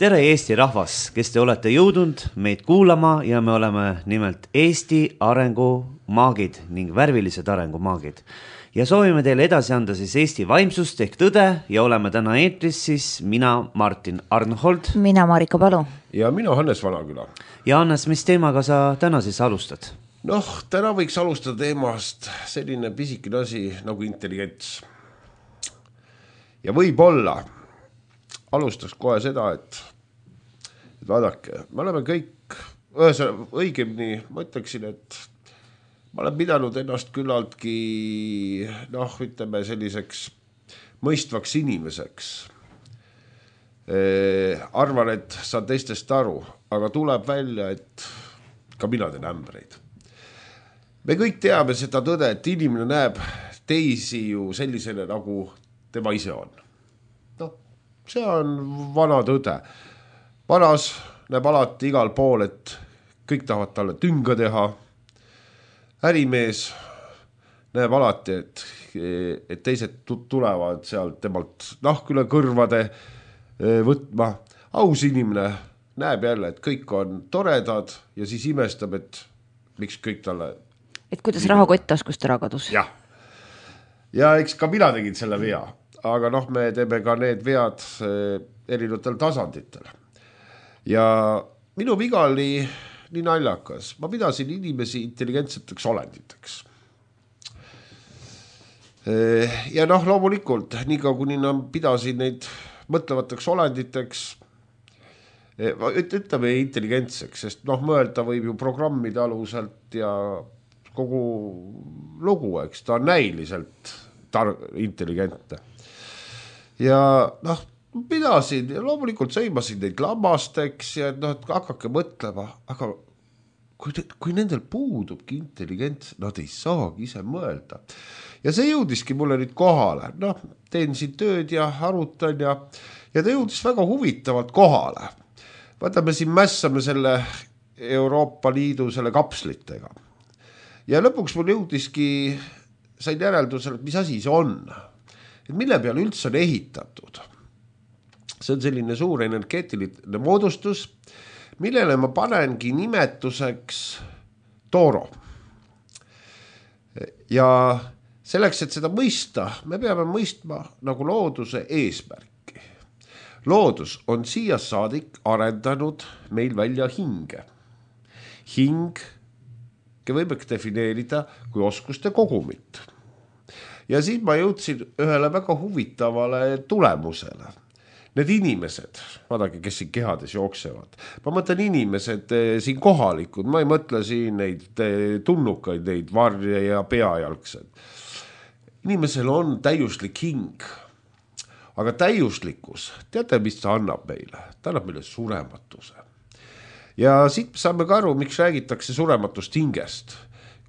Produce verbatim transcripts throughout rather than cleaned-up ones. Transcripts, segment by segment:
tere Eesti rahvas, kes te olete jõudnud meid kuulama ja me oleme nimelt Eesti arengumaagid ning värvilised arengumaagid. Ja soovime teile edasi anda siis Eesti vaimsust ehk tõde ja oleme täna eetris siis mina, Martin Arnhold. Mina, Marika Palu. Ja mina, Hannes Vanaküla. Ja Hannes, mis teemaga sa täna siis alustad? Noh, täna võiks alustada teemast selline pisikene asi nagu intelligents. Ja võib-olla alustaks kohe seda, et, et vaadake, me oleme kõik, ühesõnaga, õigemini, ma ütleksin, et ma olen pidanud ennast küllaltki, noh, ütleme selliseks mõistvaks inimeseks. E, arvan, et saan teistest aru, aga tuleb välja, et ka mina teen ämbreid. Me kõik teame seda tõde, et inimene näeb teisi ju sellisele, nagu tema ise on. See on vana tõde. Vanas näeb alati igal pool, et kõik tahavad talle tünga teha. Ärimees näeb alati, et, et teised tulevad sealt temalt nahk üle kõrvade võtma. Aus inimene näeb jälle, et kõik on toredad ja siis imestab, et miks kõik talle... Et kuidas rahakott taskust ära kadus. Jah. Ja eks ka mina tegin selle vea. Aga noh, me teeme ka need vead erinevatel tasanditel. Ja minu viga oli nii naljakas. Ma pidasin inimesi intelligentseteks olenditeks. Ja noh, loomulikult, nii ka kuni ma pidasin neid mõtlevateks olenditeks, ütleme intelligentseks, sest noh, mõelda võib ju programmide aluselt ja kogu lugu, eks ta on näiliselt tar- intelligentne. Ja noh, pidasin ja loomulikult sõimasin neid lammasteks ja noh, et hakake mõtlema, aga kui, kui nendel puudubki intelligents, nad ei saagi ise mõelda. Ja see jõudiski mulle nüüd kohale. Noh, teen siin tööd ja arutan ja, ja ta jõudis väga huvitavalt kohale. Vaata, me siin mässame selle Euroopa Liidu selle kapslitega. Ja lõpuks mul jõudiski, sain järeldusele, et mis asi see on. Et mille peale üldse on ehitatud. See on selline suur energeetiline moodustus, millele ma panengi nimetuseks tooro. Ja selleks, et seda mõista, me peame mõistma nagu looduse eesmärki. Loodus on siia saadik arendanud meil välja hinge. Hing võime defineerida kui oskuste kogumit. Ja siis ma jõudsin ühele väga huvitavale tulemusele. Need inimesed, vaadake, kes siin kehades jooksevad. Ma mõtlen inimesed siin kohalikud, ma ei mõtle siin neid tunnukaid, neid varje ja peajalgsed. Inimesel on täiuslik hing, aga täiuslikkus, teate, mis ta annab meile? Ta annab meile surematuse. Ja siit saame ka aru, miks räägitakse surematust hingest.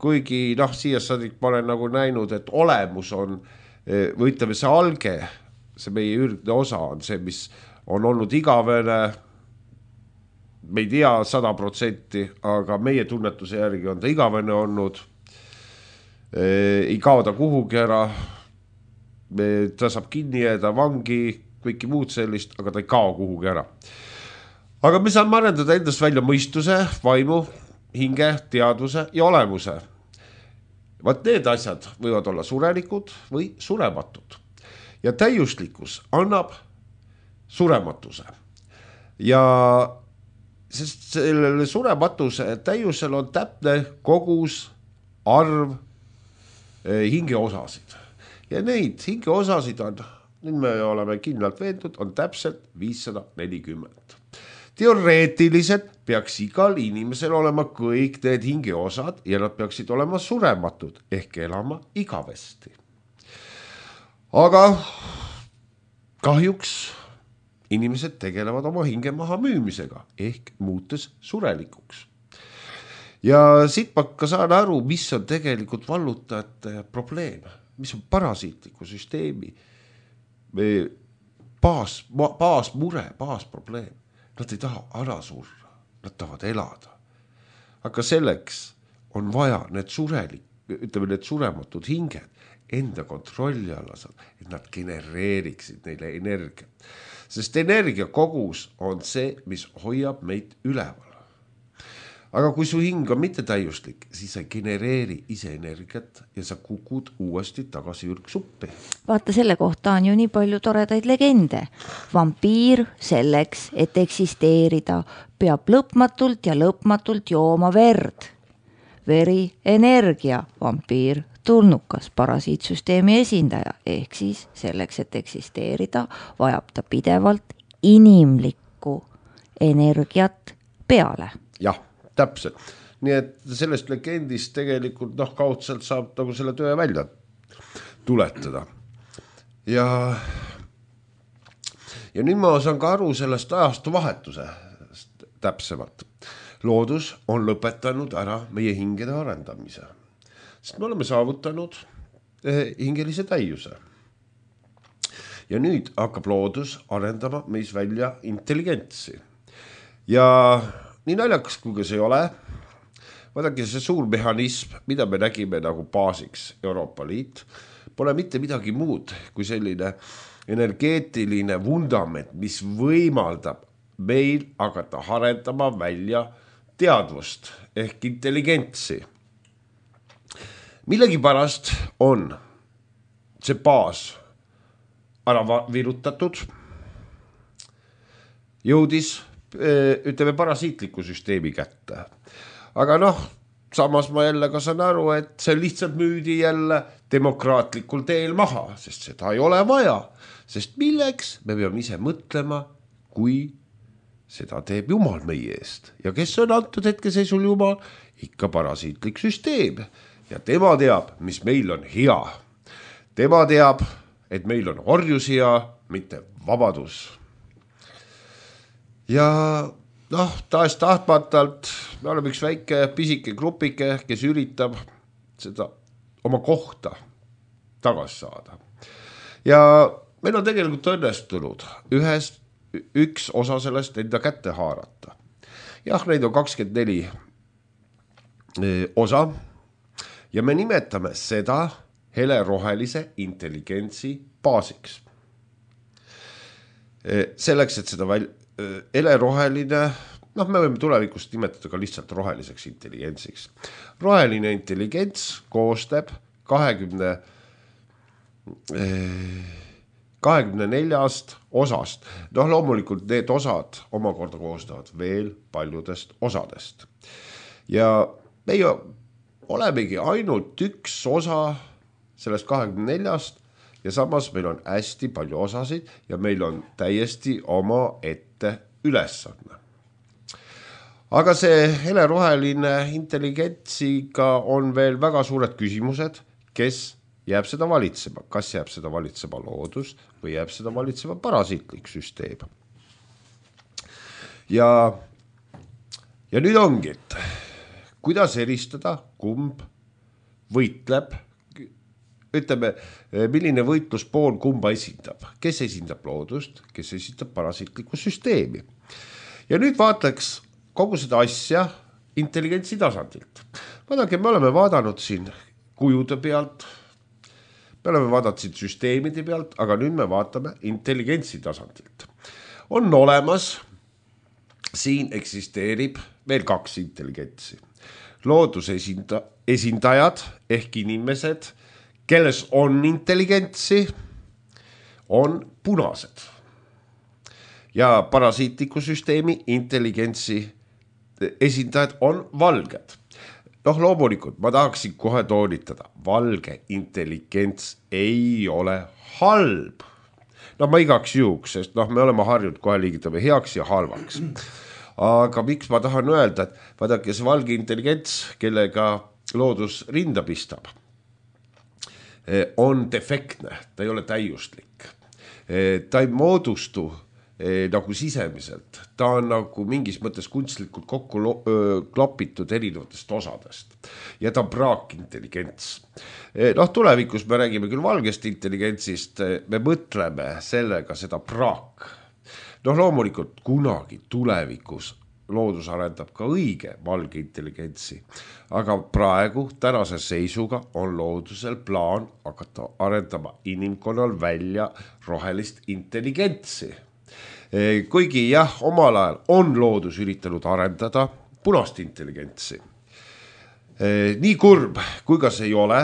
Kuigi noh, siia saadik ma olen nagu näinud, et olemus on, või ütleme see alge, see meie ürdne osa on see, mis on olnud igavene, me ei tea sada protsenti, aga meie tunnetuse järgi on ta igavene olnud, ei kao ta kuhugi ära, ta saab kinni jääda vangi, kõiki muud sellist, aga ta ei kao kuhugi ära. Aga me saame arendada endast välja mõistuse, vaimu, hinge, teadvuse ja olemuse. Vaat need asjad võivad olla surelikud või surematud. Ja täiuslikkus annab surematuse. Ja sest sellele surematuse täiusel on täpne kogus arv hingeosasid. Ja neid hingeosasid on, nüüd me oleme kindlalt veendud, on täpselt viissada nelikümmend. Teoreetiliselt peaks igal inimesel olema kõik need hingeosad ja nad peaksid olema surematud ehk elama igavesti. Aga kahjuks inimesed tegelevad oma hinge maha müümisega ehk muutes surelikuks. Ja siit ma ka saan aru, mis on tegelikult vallutajate probleem, mis on parasiitliku süsteemi baas, baas mure, baas probleem. Nad ei taha ära surra, nad tahavad elada. Aga selleks on vaja need surelik, ütleme need surematud hinged enda kontrolli alla saada, et nad genereeriksid neile energia. sest energiakogus on see, mis hoiab meid üleval. Aga kui su hing on mittetäiuslik, siis sa ei genereeri ise energiat ja sa kukud uuesti tagasi ürgsuppi. Vaata, selle kohta on ju nii palju toredaid legende. Vampiir selleks, et eksisteerida, peab lõpmatult ja lõpmatult jooma verd. Veri, energia, vampiir, tulnukas, parasiitsüsteemi esindaja. Ehk siis selleks, et eksisteerida, vajab ta pidevalt inimlikku energiat peale. Jah. Täpselt. Nii et sellest legendist tegelikult noh, kaudselt saab nagu selle töö välja tuletada. Ja, ja nüüd ma saan ka aru sellest ajastu vahetuse täpsemalt. Loodus on lõpetanud ära meie hingede arendamise. Sest me oleme saavutanud hingelise täiuse. Ja nüüd hakkab loodus arendama meis välja intelligentsi. Ja nii naljakas, kui see ei ole, vaadake see suur mehhanism, mida me nägime nagu baasiks Euroopa Liit, pole mitte midagi muud kui selline energeetiline vundament, mis võimaldab meil hakata arendama välja teadvust ehk intelligentsi. Millegi pärast on see baas ära virutatud, jõudis ütleme parasiitliku süsteemi kätte. Aga noh, samas ma jälle ka saan aru, et see lihtsalt müüdi jälle demokraatlikul teel maha, sest seda ei ole vaja. Sest milleks me peame ise mõtlema, kui seda teeb Jumal meie eest. Ja kes on antud hetkeseisul Jumal? Ikka parasiitlik süsteem. Ja tema teab, mis meil on hea. Tema teab, et meil on orjus hea, mitte vabadus. Ja noh, taas tahtmatalt me oleme üks väike pisike grupike, kes üritab seda oma kohta tagasi saada. Ja meil on tegelikult õnnestunud ühest, üks osa sellest enda kätte haarata. Jah, neid on kakskümmend neli osa ja me nimetame seda helerohelise intelligentsi baasiks. Selleks, et seda välja heleroheline, noh, me võime tulevikust nimetada ka lihtsalt roheliseks intelligentsiks. Roheline intelligents koostab kahekümne, kahekümne neljast osast. Noh, loomulikult need osad omakorda koostavad veel paljudest osadest. Ja meie olemegi ainult üks osa sellest kahekümne neljast ja samas meil on hästi palju osasid ja meil on täiesti oma ette ülesanne. Aga see heleroheline intelligentsiga on veel väga suured küsimused, kes jääb seda valitsema. Kas jääb seda valitsema loodus või jääb seda valitsema parasiitlik süsteem. Ja, ja nüüd ongi, et kuidas eristada, kumb võitleb, ütleme, milline võitluspool kumba esindab. Kes esindab loodust, kes esindab parasiitlikku süsteemi. Ja nüüd vaataks kogu seda asja intelligentsi tasandilt. Vaadake, me oleme vaadanud siin kujude pealt, me oleme vaadanud siin süsteemide pealt, aga nüüd me vaatame intelligentsi tasandilt. On olemas, siin eksisteerib veel kaks intelligentsi. Looduse esinda, esindajad ehk inimesed, kelles on intelligentsi, on punased. Ja parasiitliku süsteemi intelligentsi esindajad on valged. Noh, loomulikult, ma tahaksin kohe toonitada, valge intelligents ei ole halb. No ma igaks juhuks, sest noh, me oleme harjunud kohe liigitame heaks ja halvaks. Aga miks ma tahan öelda, et vaadake see valge intelligents, kellega loodus rinda pistab, on defektne, ta ei ole täiuslik. Ta ei moodustu nagu sisemiselt, ta on nagu mingis mõttes kunstlikult kokku lo- klopitud erinevatest osadest ja ta on praakintelligents. Noh, tulevikus me räägime küll valgest intelligentsist, me mõtleme sellega seda praak. Noh, loomulikult kunagi tulevikus loodus arendab ka õige valge intelligentsi, aga praegu tänase seisuga on loodusel plaan hakata arendama inimkonnal välja rohelist intelligentsi. kuigi jah, omal ajal on loodus üritanud arendada punast intelligentsi. Nii kurb, kui ka see ei ole,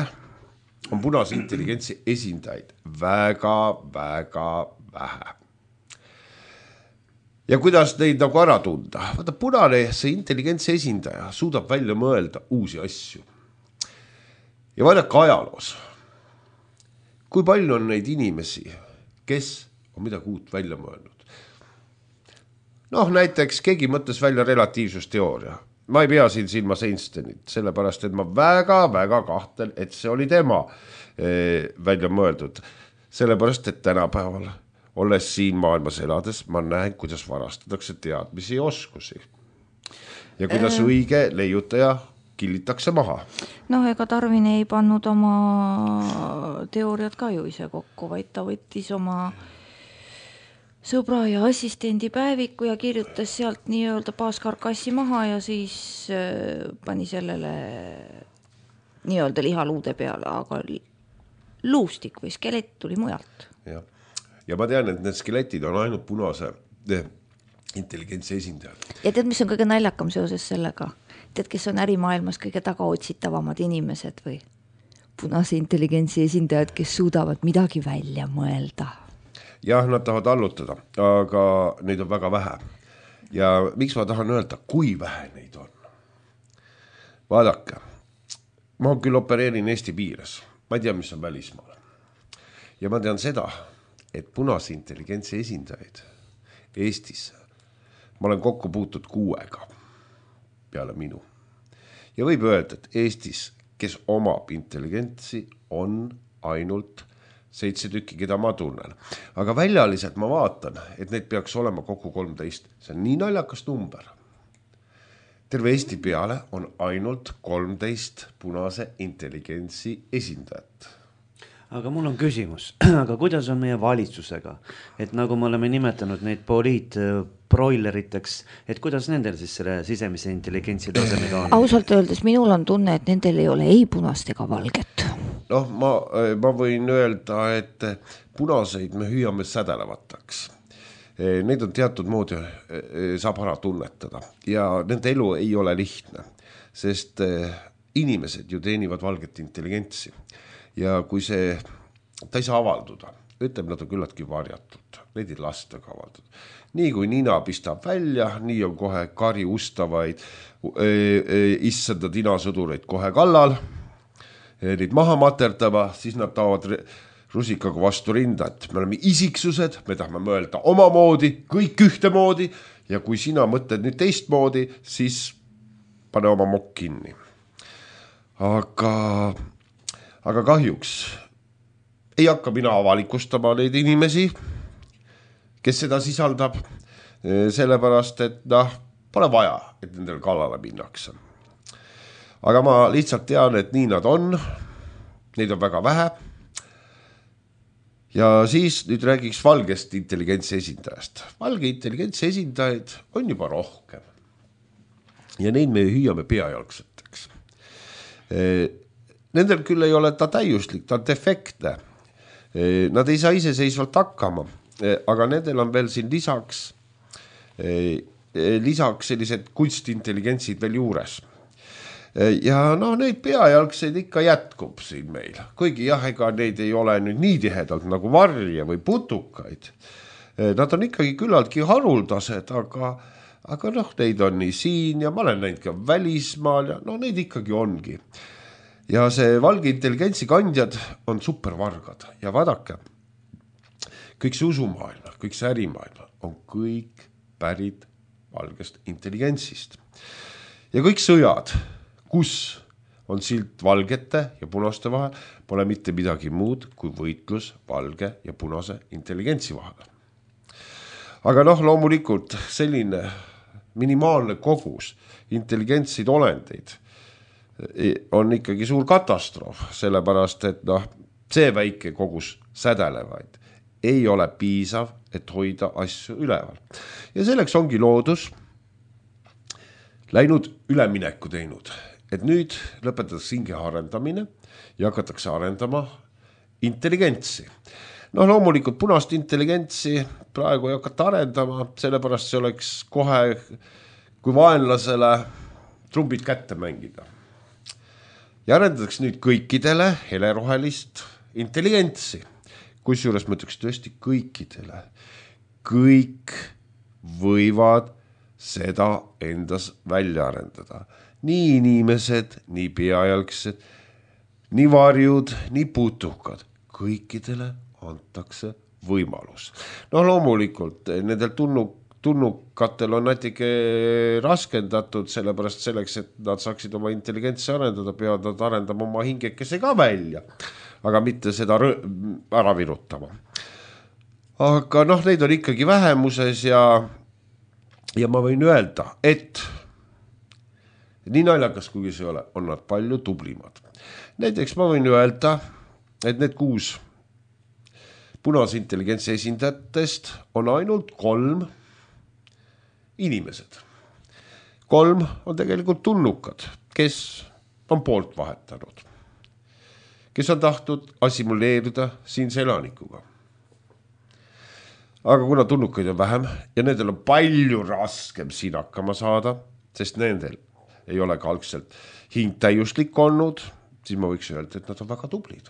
on punase intelligentsi esindajaid väga, väga vähe. Ja kuidas neid nagu ära tunda? Vaata, punane see intelligentsi esindaja suudab välja mõelda uusi asju. Ja vaadake ajaloos, kui palju on neid inimesi, kes on midagi uut välja mõelnud. Noh, näiteks keegi mõtles välja relatiivsusteooria. Ma ei pea siin silmas Einsteinit, sellepärast, et ma väga, väga kahtlen, et see oli tema eh, välja mõeldud. Sellepärast, et tänapäeval, olles siin maailmas elades, ma näen, kuidas varastatakse teadmisi ja oskusi. Ja kuidas äh... õige leiutaja killitakse maha. Noh, ega Darwin ei pannud oma teooriad ka ju ise kokku, vaid ta võttis oma sõbra ja assistendi päeviku ja kirjutas sealt nii-öelda baaskarkassi maha ja siis pani sellele nii-öelda lihaluude peale, aga luustik või skelett tuli mujalt. Ja, ja ma tean, et need skeletid on ainult punase intelligentsi esindajad. Ja tead, mis on kõige naljakam seoses sellega? Tead, kes on ärimaailmas kõige tagaotsitavamad inimesed või punase intelligentsi esindajad, kes suudavad midagi välja mõelda? Jah, nad tahavad allutada, aga neid on väga vähe. Ja miks ma tahan öelda, kui vähe neid on? Vaadake, ma küll opereerin Eesti piires, ma ei tea, mis on välismaal. Ja ma tean seda, et punase intelligentsi esindajaid Eestis ma olen kokku puutud kuuega peale minu. Ja võib öelda, et Eestis, kes omab intelligentsi, on ainult seitse tükki, keda ma tunnen. Aga väljaliselt ma vaatan, et neid peaks olema kokku kolmteist. See on nii naljakas number. Terve Eesti peale on ainult kolmteist punase intelligentsi esindajat. Aga mul on küsimus, aga kuidas on meie valitsusega? Et nagu me oleme nimetanud neid poliitbroileriteks, et kuidas nendel siis selle sisemise intelligentsi tasemega on? Ausalt öeldes minul on tunne, et nendel ei ole ei punast ega valget. Noh, ma, ma võin öelda, et punaseid me hüüame sädelevataks. Neid on teatud moodi saab ära tunnetada ja nende elu ei ole lihtne, sest inimesed ju teenivad valget intelligentsi. Ja kui see, ta ei saa avalduda, ütleb, nad on küllaltki varjatud, neid ei lasta ka avaldada. Nii kui nina pistab välja, nii on kohe kari ustavaid issanda tinasõdureid kohe kallal, neid maha materdava, siis nad taavad rusikaga vastu rinda, et me oleme isiksused, me tahame mõelda omamoodi, kõik ühtemoodi ja kui sina mõtled nüüd teistmoodi, siis pane oma mokk kinni. Aga... Aga kahjuks ei hakka mina avalikustama neid inimesi, kes seda sisaldab, sellepärast, et noh, pole vaja, et nendel kallale minnakse. Aga ma lihtsalt tean, et nii nad on, neid on väga vähe. Ja siis nüüd räägiks valgest intelligentsi esindajast. Valge intelligentsi esindajaid on juba rohkem. Ja neid me hüüame peajalgseteks. Nendel küll ei ole ta täiuslik, ta on defektne. Nad ei saa iseseisvalt hakkama, aga nendel on veel siin lisaks, lisaks sellised kunstintelligentsid veel juures. Ja no neid peajalgseid ikka jätkub siin meil, kuigi jah, ega neid ei ole nüüd nii tihedalt nagu varje või putukaid. Nad on ikkagi küllaltki haruldased, aga, aga noh, neid on nii siin ja ma olen näinud ka välismaal ja no neid ikkagi ongi. Ja see valge intelligentsi kandjad on supervargad ja vaadake, kõik see usumaailma, kõik see ärimaailma on kõik pärit valgest intelligentsist. Ja kõik sõjad, kus on silt valgete ja punaste vahel, pole mitte midagi muud kui võitlus valge ja punase intelligentsi vahel. Aga noh, loomulikult selline minimaalne kogus intelligentsid olendeid on ikkagi suur katastroof, sellepärast, et noh, see väike kogus sädelevaid ei ole piisav, et hoida asju üleval. Ja selleks ongi loodus läinud ülemineku teinud, et nüüd lõpetatakse hinge arendamine ja hakatakse arendama intelligentsi. noh, loomulikult punast intelligentsi praegu ei hakata arendama, sellepärast see oleks kohe kui vaenlasele trumbid kätte mängida. Ja arendatakse nüüd kõikidele helerohelist intelligentsi, kus juures ma ütleks tõesti kõikidele. Kõik võivad seda endas välja arendada. Nii inimesed, nii peajalgsed, nii varjud, nii putukad. Kõikidele antakse võimalus. No loomulikult nendel tunnu, tunnukatel on natuke raskendatud, sellepärast selleks, et nad saaksid oma intelligentsi arendada, peavad nad arendama oma hingekese ka välja, aga mitte seda ära virutama. Aga noh, neid on ikkagi vähemuses ja, ja ma võin öelda, et nii naljakas kuigi see ole, on nad palju tublimad. Näiteks ma võin öelda, et need kuus punase intelligentsi esindajatest on ainult kolm inimesed. Kolm on tegelikult tunnukad, kes on poolt vahetanud, kes on tahtnud assimileerida siinse elanikuga. Aga kuna tunnukaid on vähem ja nendel on palju raskem siin hakkama saada, sest nendel ei ole ka algselt hing täiuslik olnud, siis ma võiks öelda, et nad on väga tublid.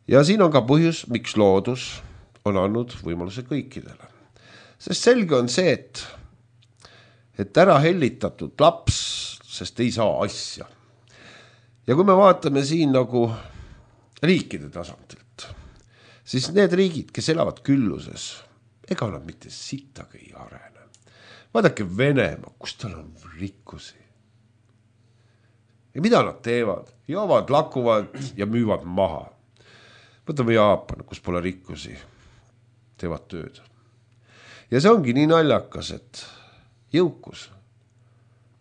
Ja siin on ka põhjus, miks loodus on andnud võimaluse kõikidele. Sest selge on see, et, et ära hellitatud laps, sest ei saa asja. Ja kui me vaatame siin nagu riikide tasandilt, siis need riigid, kes elavad külluses, ega nad mitte sittagi ei arene. Vaadake Venemaa, kus tal on rikkusi. Ja mida nad teevad? Joovad, lakuvad ja müüvad maha. Võtame Jaapan, kus pole rikkusi, teevad tööd. Ja see ongi nii naljakas, et jõukus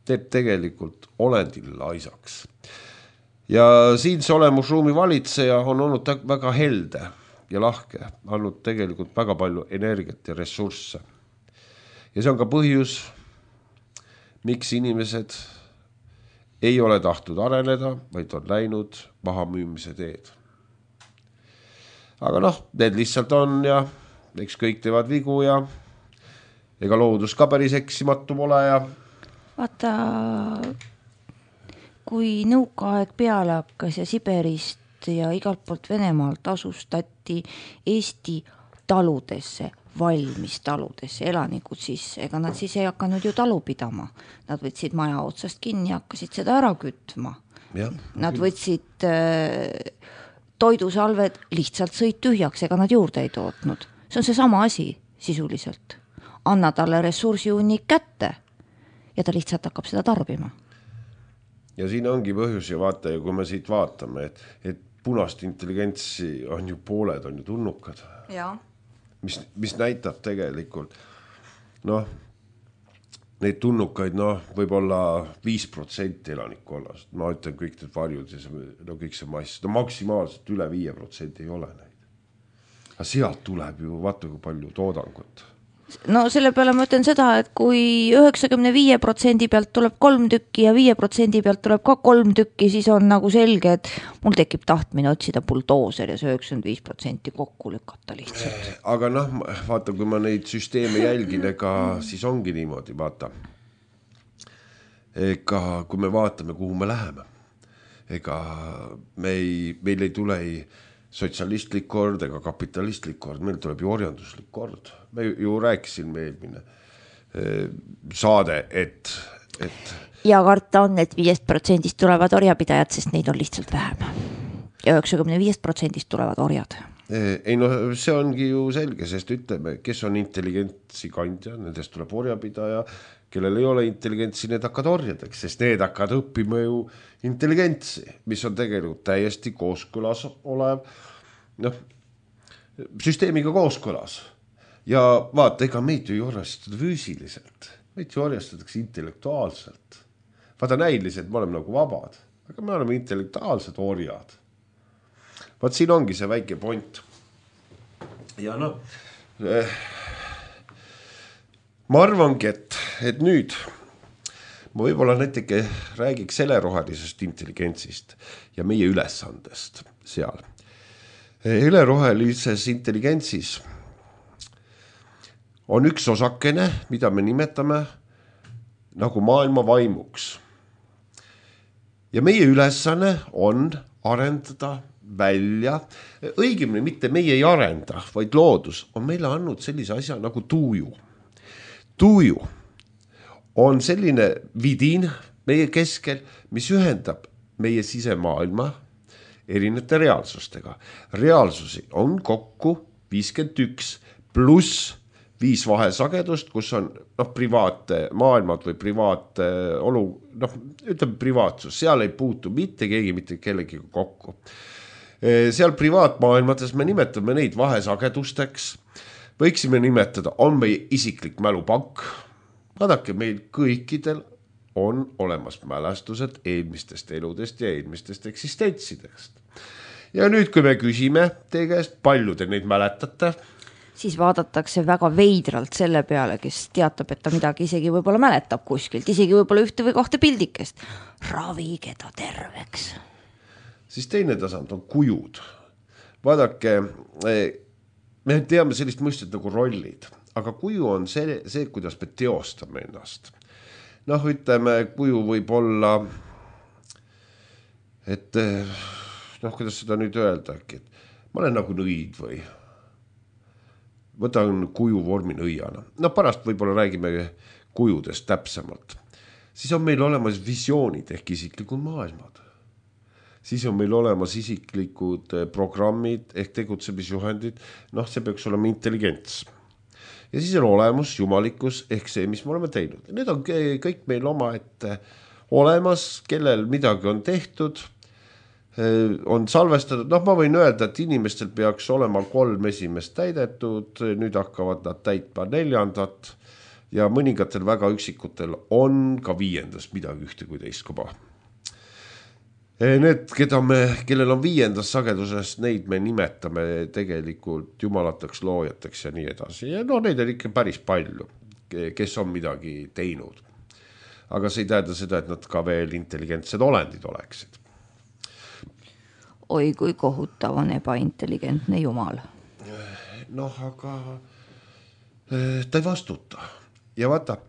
teeb tegelikult olendil laisaks. Ja siinse olemusruumi valitseja on olnud väga helde ja lahke, andnud tegelikult väga palju energiat ja ressursse. Ja see on ka põhjus, miks inimesed ei ole tahtnud areneda, vaid on läinud maha müümise teed. Aga noh, need lihtsalt on ja eks kõik teevad vigu ja ega loodus ka päris eksimatu pole ja... Vaata, kui nõukaaeg peale hakkas ja Siberist ja igalt poolt Venemaalt asustati Eesti taludesse, valmis taludesse elanikud, siis ega nad siis ei hakanud ju talu pidama. Nad võtsid maja otsast kinni ja hakkasid seda ära kütma. Ja, nad võtsid... Äh, toidusalved lihtsalt sõid tühjaks, ega nad juurde ei tootnud. See on see sama asi sisuliselt. Anna talle ressursiunnik kätte ja ta lihtsalt hakkab seda tarbima. Ja siin ongi põhjus ja vaata, ja kui me siit vaatame, et, et punast intelligentsi on ju pooled, on ju tunnukad. Ja. Mis, mis näitab tegelikult, noh, neid tunnukaid, noh, võib-olla viis protsenti elanikkonnast. Ma ütlen kõik need varjud ja see, no kõik see mass, no maksimaalselt üle viie protsenti ei ole neid. Aga sealt tuleb ju, vaata kui palju toodangut. No selle peale ma ütlen seda, et kui üheksakümne viie protsendi pealt tuleb kolm tükki ja viie protsendi pealt tuleb ka kolm tükki, siis on nagu selge, et mul tekib tahtmine otsida buldooser ja see üheksakümmend viis protsenti kokku lükata lihtsalt. Aga noh, vaata, kui ma neid süsteeme jälgin, ega siis ongi niimoodi, vaata. Ega kui me vaatame, kuhu me läheme, ega me ei, meil ei tule ei sotsialistlik kord ega kapitalistlik kord, meil tuleb ju orjanduslik kord. Me ju rääkisin eelmine saade, et, et... Ja karta on, et viiest protsendist tulevad orjapidajad, sest neid on lihtsalt vähem. Ja üheksakümne viiest protsendist tulevad orjad. Ei no see ongi ju selge, sest ütleme, kes on intelligentsi kandja, nendest tuleb orjapidaja, kellel ei ole intelligentsi, need hakkad orjadeks, sest need hakkad õppima ju intelligentsi, mis on tegelikult täiesti kooskõlas olev, noh, süsteemiga kooskõlas. Ja vaata, ega meid ju ei orjastada füüsiliselt, meid ju orjastatakse intellektuaalselt. Vaata näiliselt, me oleme nagu vabad, aga me oleme intellektuaalsed orjad. Vaat siin ongi see väike point. Ja noh, eh, ma arvangi, et, et nüüd ma võib-olla näiteke räägiks selle rohelisest intelligentsist ja meie ülesandest seal. ülerohelises intelligentsis on üks osakene, mida me nimetame nagu maailma vaimuks. Ja meie ülesanne on arendada välja, õigemini mitte meie ei arenda, vaid loodus on meile andnud sellise asja nagu tuuju. Tuuju on selline vidin meie keskel, mis ühendab meie sisemaailma erinevate reaalsustega. Reaalsusi on kokku viiskümmend üks pluss viis vahesagedust, kus on noh, privaate maailmad või privaat olu, noh, ütleme privaatsus, seal ei puutu mitte keegi mitte kellegiga kokku. Seal privaatmaailmades me nimetame neid vahesagedusteks, võiksime nimetada, on meie isiklik mälupank. Vaadake, meil kõikidel on olemas mälestused eelmistest eludest ja eelmistest eksistentsidest. Ja nüüd, kui me küsime teie käest, palju te neid mäletate, siis vaadatakse väga veidralt selle peale, kes teatab, et ta midagi isegi võib-olla mäletab kuskilt, isegi võib-olla ühte või kohta pildikest. Ravige ta terveks. Siis teine tasand on kujud. Vaadake, me teame sellist mõistet nagu rollid, aga kuju on see, see kuidas me teostame ennast. Noh, ütleme, kuju võib olla, et noh, kuidas seda nüüd öelda, et ma olen nagu nõid või võtan kuju vormi nõiana. No pärast võib-olla räägime kujudest täpsemalt. Siis on meil olemas visioonid ehk isiklikud maailmad. Siis on meil olemas isiklikud programmid ehk tegutsemisjuhendid. Noh, see peaks olema intelligents. Ja siis on olemas jumalikkus ehk see, mis me oleme teinud. Need on kõik meil oma ette olemas, kellel midagi on tehtud, on salvestatud. Noh, ma võin öelda, et inimestel peaks olema kolm esimest täidetud, nüüd hakkavad nad täitma neljandat ja mõningatel väga üksikutel on ka viiendas midagi ühte kui teist kuba. Need, keda me, kellel on viiendas sageduses, neid me nimetame tegelikult jumalateks, loojateks ja nii edasi. Ja no neid on ikka päris palju, kes on midagi teinud. Aga see ei tähenda seda, et nad ka veel intelligentsed olendid oleksid. Oi, kui kohutav on ebaintelligentne jumal. Noh, aga ta ei vastuta. Ja vaata,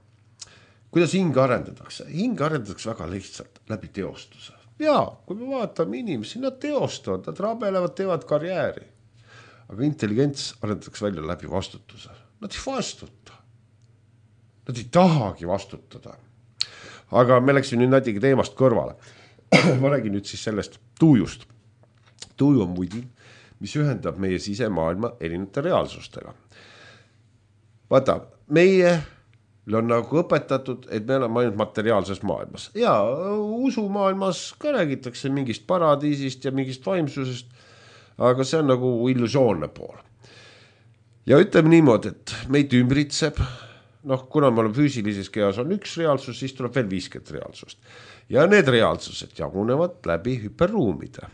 kuidas hing arendatakse? Hing arendatakse väga lihtsalt läbi teostuse. Ja, kui me vaatame inimesi, nad teostavad, nad rabelevad, teevad karjääri. Aga intelligents arendatakse välja läbi vastutuse. Nad ei vastuta. Nad ei tahagi vastutada. Aga me läksime nüüd natuke teemast kõrvale. Ma räägin nüüd siis sellest tuujust. Tuju on muidin, mis ühendab meie sisemaailma erinevate reaalsustega. Vaata, meie on nagu õpetatud, et me oleme ainult materiaalses maailmas. Ja usumaailmas ka räägitakse mingist paradiisist ja mingist vaimsusest, aga see on nagu illusioonne pool. Ja ütleme niimoodi, et meid ümbritseb, noh, kuna me oleme füüsilises kehas on üks reaalsus, siis tuleb veel viiskümmend reaalsust. Ja need reaalsused jagunevad läbi hüperruumide.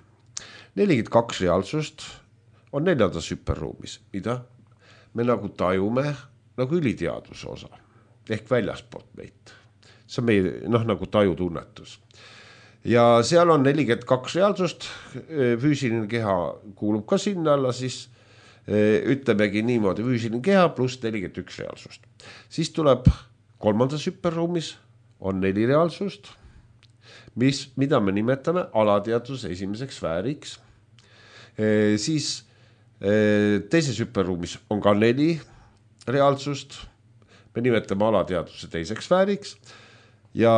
nelikümmend kaks reaalsust on neljandas hüperruumis, mida me nagu tajume nagu üliteaduse osa ehk väljaspoolt meid. See on meie, noh, nagu tajutunnetus. Ja seal on nelikümmend kaks reaalsust, füüsiline keha kuulub ka sinna alla, siis ütlemegi niimoodi füüsiline keha pluss nelikümmend üks reaalsust. Siis tuleb kolmandas hüperruumis on neli reaalsust, mis, mida me nimetame alateadvuse esimeseks sfääriks. E, siis e, teises hüperruumis on ka neli reaalsust, me nimetame alateadvuse teiseks sfääriks ja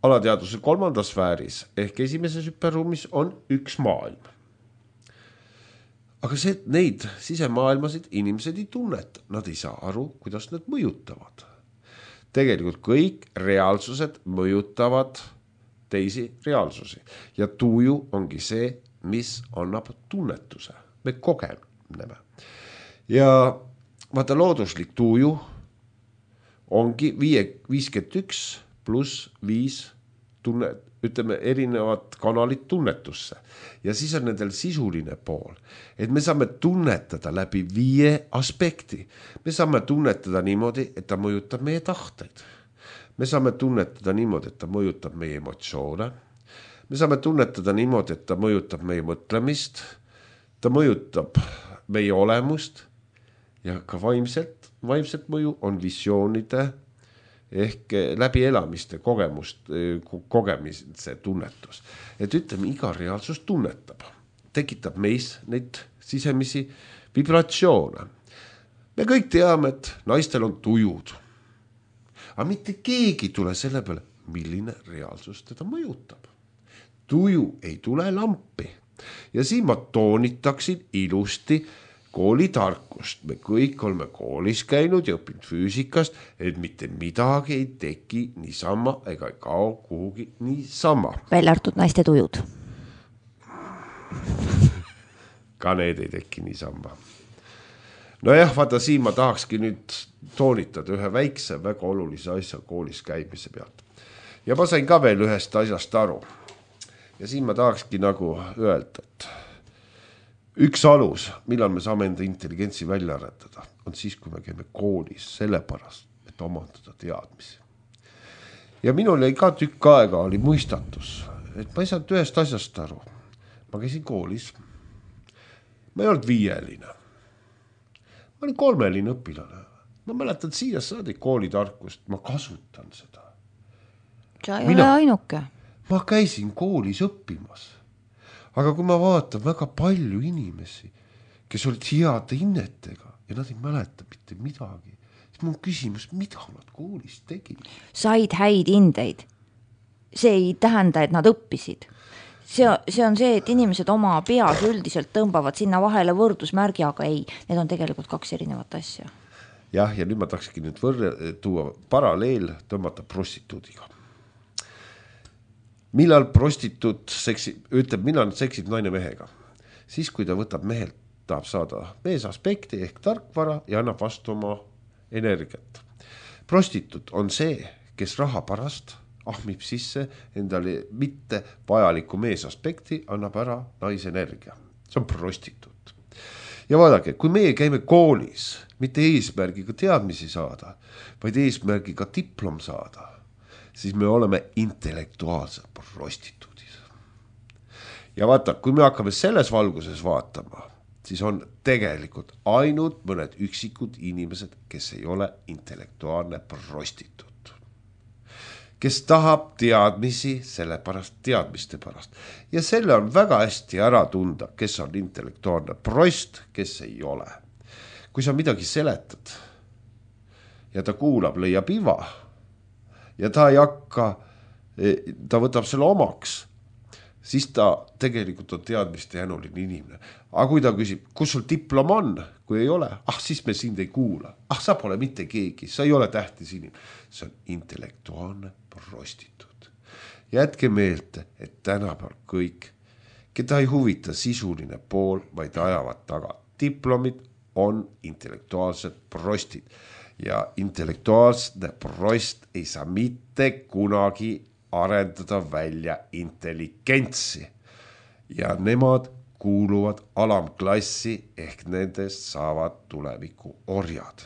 alateadvuse kolmandas sfääris ehk esimeses hüperruumis on üks maailm. Aga see, neid sisemaailmasid inimesed ei tunneta, nad ei saa aru, kuidas need mõjutavad. Tegelikult kõik reaalsused mõjutavad teisi reaalsusi ja tuju ongi see, mis annab tunnetuse, me kogeneme. Ja vaata looduslik tuju ongi viiskümmend üks pluss viis tunne, ütleme erinevad kanalid tunnetusse ja siis on nendel sisuline pool, et me saame tunnetada läbi viie aspekti. Me saame tunnetada niimoodi, et ta mõjutab meie tahteid. Me saame tunnetada niimoodi, et ta mõjutab meie emotsioone. Me saame tunnetada niimoodi, et ta mõjutab meie mõtlemist. Ta ta mõjutab meie olemust ja ka vaimselt, vaimselt mõju on visioonide ehk läbi elamiste kogemust, kogemise tunnetus. Et ütleme, iga reaalsus tunnetab, tekitab meis neid sisemisi vibratsioone. Me kõik teame, et naistel on tujud. Aga mitte keegi tule selle peale, milline reaalsus teda mõjutab. Tuju ei tule lampi. Ja siin ma toonitaksin ilusti koolitarkust. Me kõik oleme koolis käinud ja õppinud füüsikast, et mitte midagi ei teki niisama ega ei kao kuhugi niisama. Välja artud naiste tujud. Ka need ei teki niisama. No jah, vaata siin ma tahakski nüüd toonitada ühe väikse, väga olulise asja koolis käimise pealt. Ja ma sain ka veel ühest asjast aru. Ja siin ma tahakski nagu öelda, et üks alus, millal me saame enda intelligentsi välja arendada, on siis, kui me käime koolis sellepärast, et omandada teadmisi. Ja minul jäi ka tükk aega oli mõistatus, et ma ei saanud ühest asjast aru. Ma käisin koolis. Ma ei olnud viieline. Ma olin kolmeline õpilane. Ma mäletan siia saadi koolitarkust, ma kasutan seda. Sa ei Mina... ole ainuke. Ma käisin koolis õppimas. Aga kui ma vaatan väga palju inimesi, kes olid heade hinnetega ja nad ei mäleta mitte midagi, siis mul on küsimus, mida nad koolis tegid? Said häid hindeid. See ei tähenda, et nad õppisid. See, see on see, et inimesed oma peas üldiselt tõmbavad sinna vahele võrdusmärgi, aga ei, need on tegelikult kaks erinevat asja. Jah, ja nüüd ma tahakski nüüd võrre, tuua paralleel tõmmata prostituudiga. Millal prostituut seksib, ütleb, millal seksib naine mehega? Siis, kui ta võtab mehelt, tahab saada meesaspekti ehk tarkvara ja annab vastu oma energiat. Prostituut on see, kes raha pärast ahmib sisse endale mitte vajaliku meesaspekti, annab ära naisenergia. See on prostituut. Ja vaadake, kui meie käime koolis, mitte eesmärgiga teadmisi saada, vaid eesmärgiga diplom saada, siis me oleme intellektuaalsed prostituudis. Ja vaata, kui me hakkame selles valguses vaatama, siis on tegelikult ainult mõned üksikud inimesed, kes ei ole intellektuaalne prostituut. Kes tahab teadmisi selle pärast, teadmiste pärast. Ja selle on väga hästi ära tunda, kes on intellektuaalne prost, kes ei ole. Kui sa midagi seletad ja ta kuulab, leiab iva, ja ta ei hakka, ta võtab selle omaks, siis ta tegelikult on teadmiste jänuline inimene. Aga kui ta küsib, kus sul diplom on, kui ei ole, ah siis me sind ei kuula. Ah sa pole mitte keegi, sa ei ole tähtis inimene. See on intellektuaalne prostituut. Jätke meelde, et tänapäeval kõik, keda ei huvita sisuline pool, vaid ajavad taga. Diplomid on intellektuaalsed prostid. Ja intellektuaalne prost ei saa mitte kunagi arendada välja intelligentsi. Ja nemad kuuluvad alamklassi ehk nendest saavad tuleviku orjad.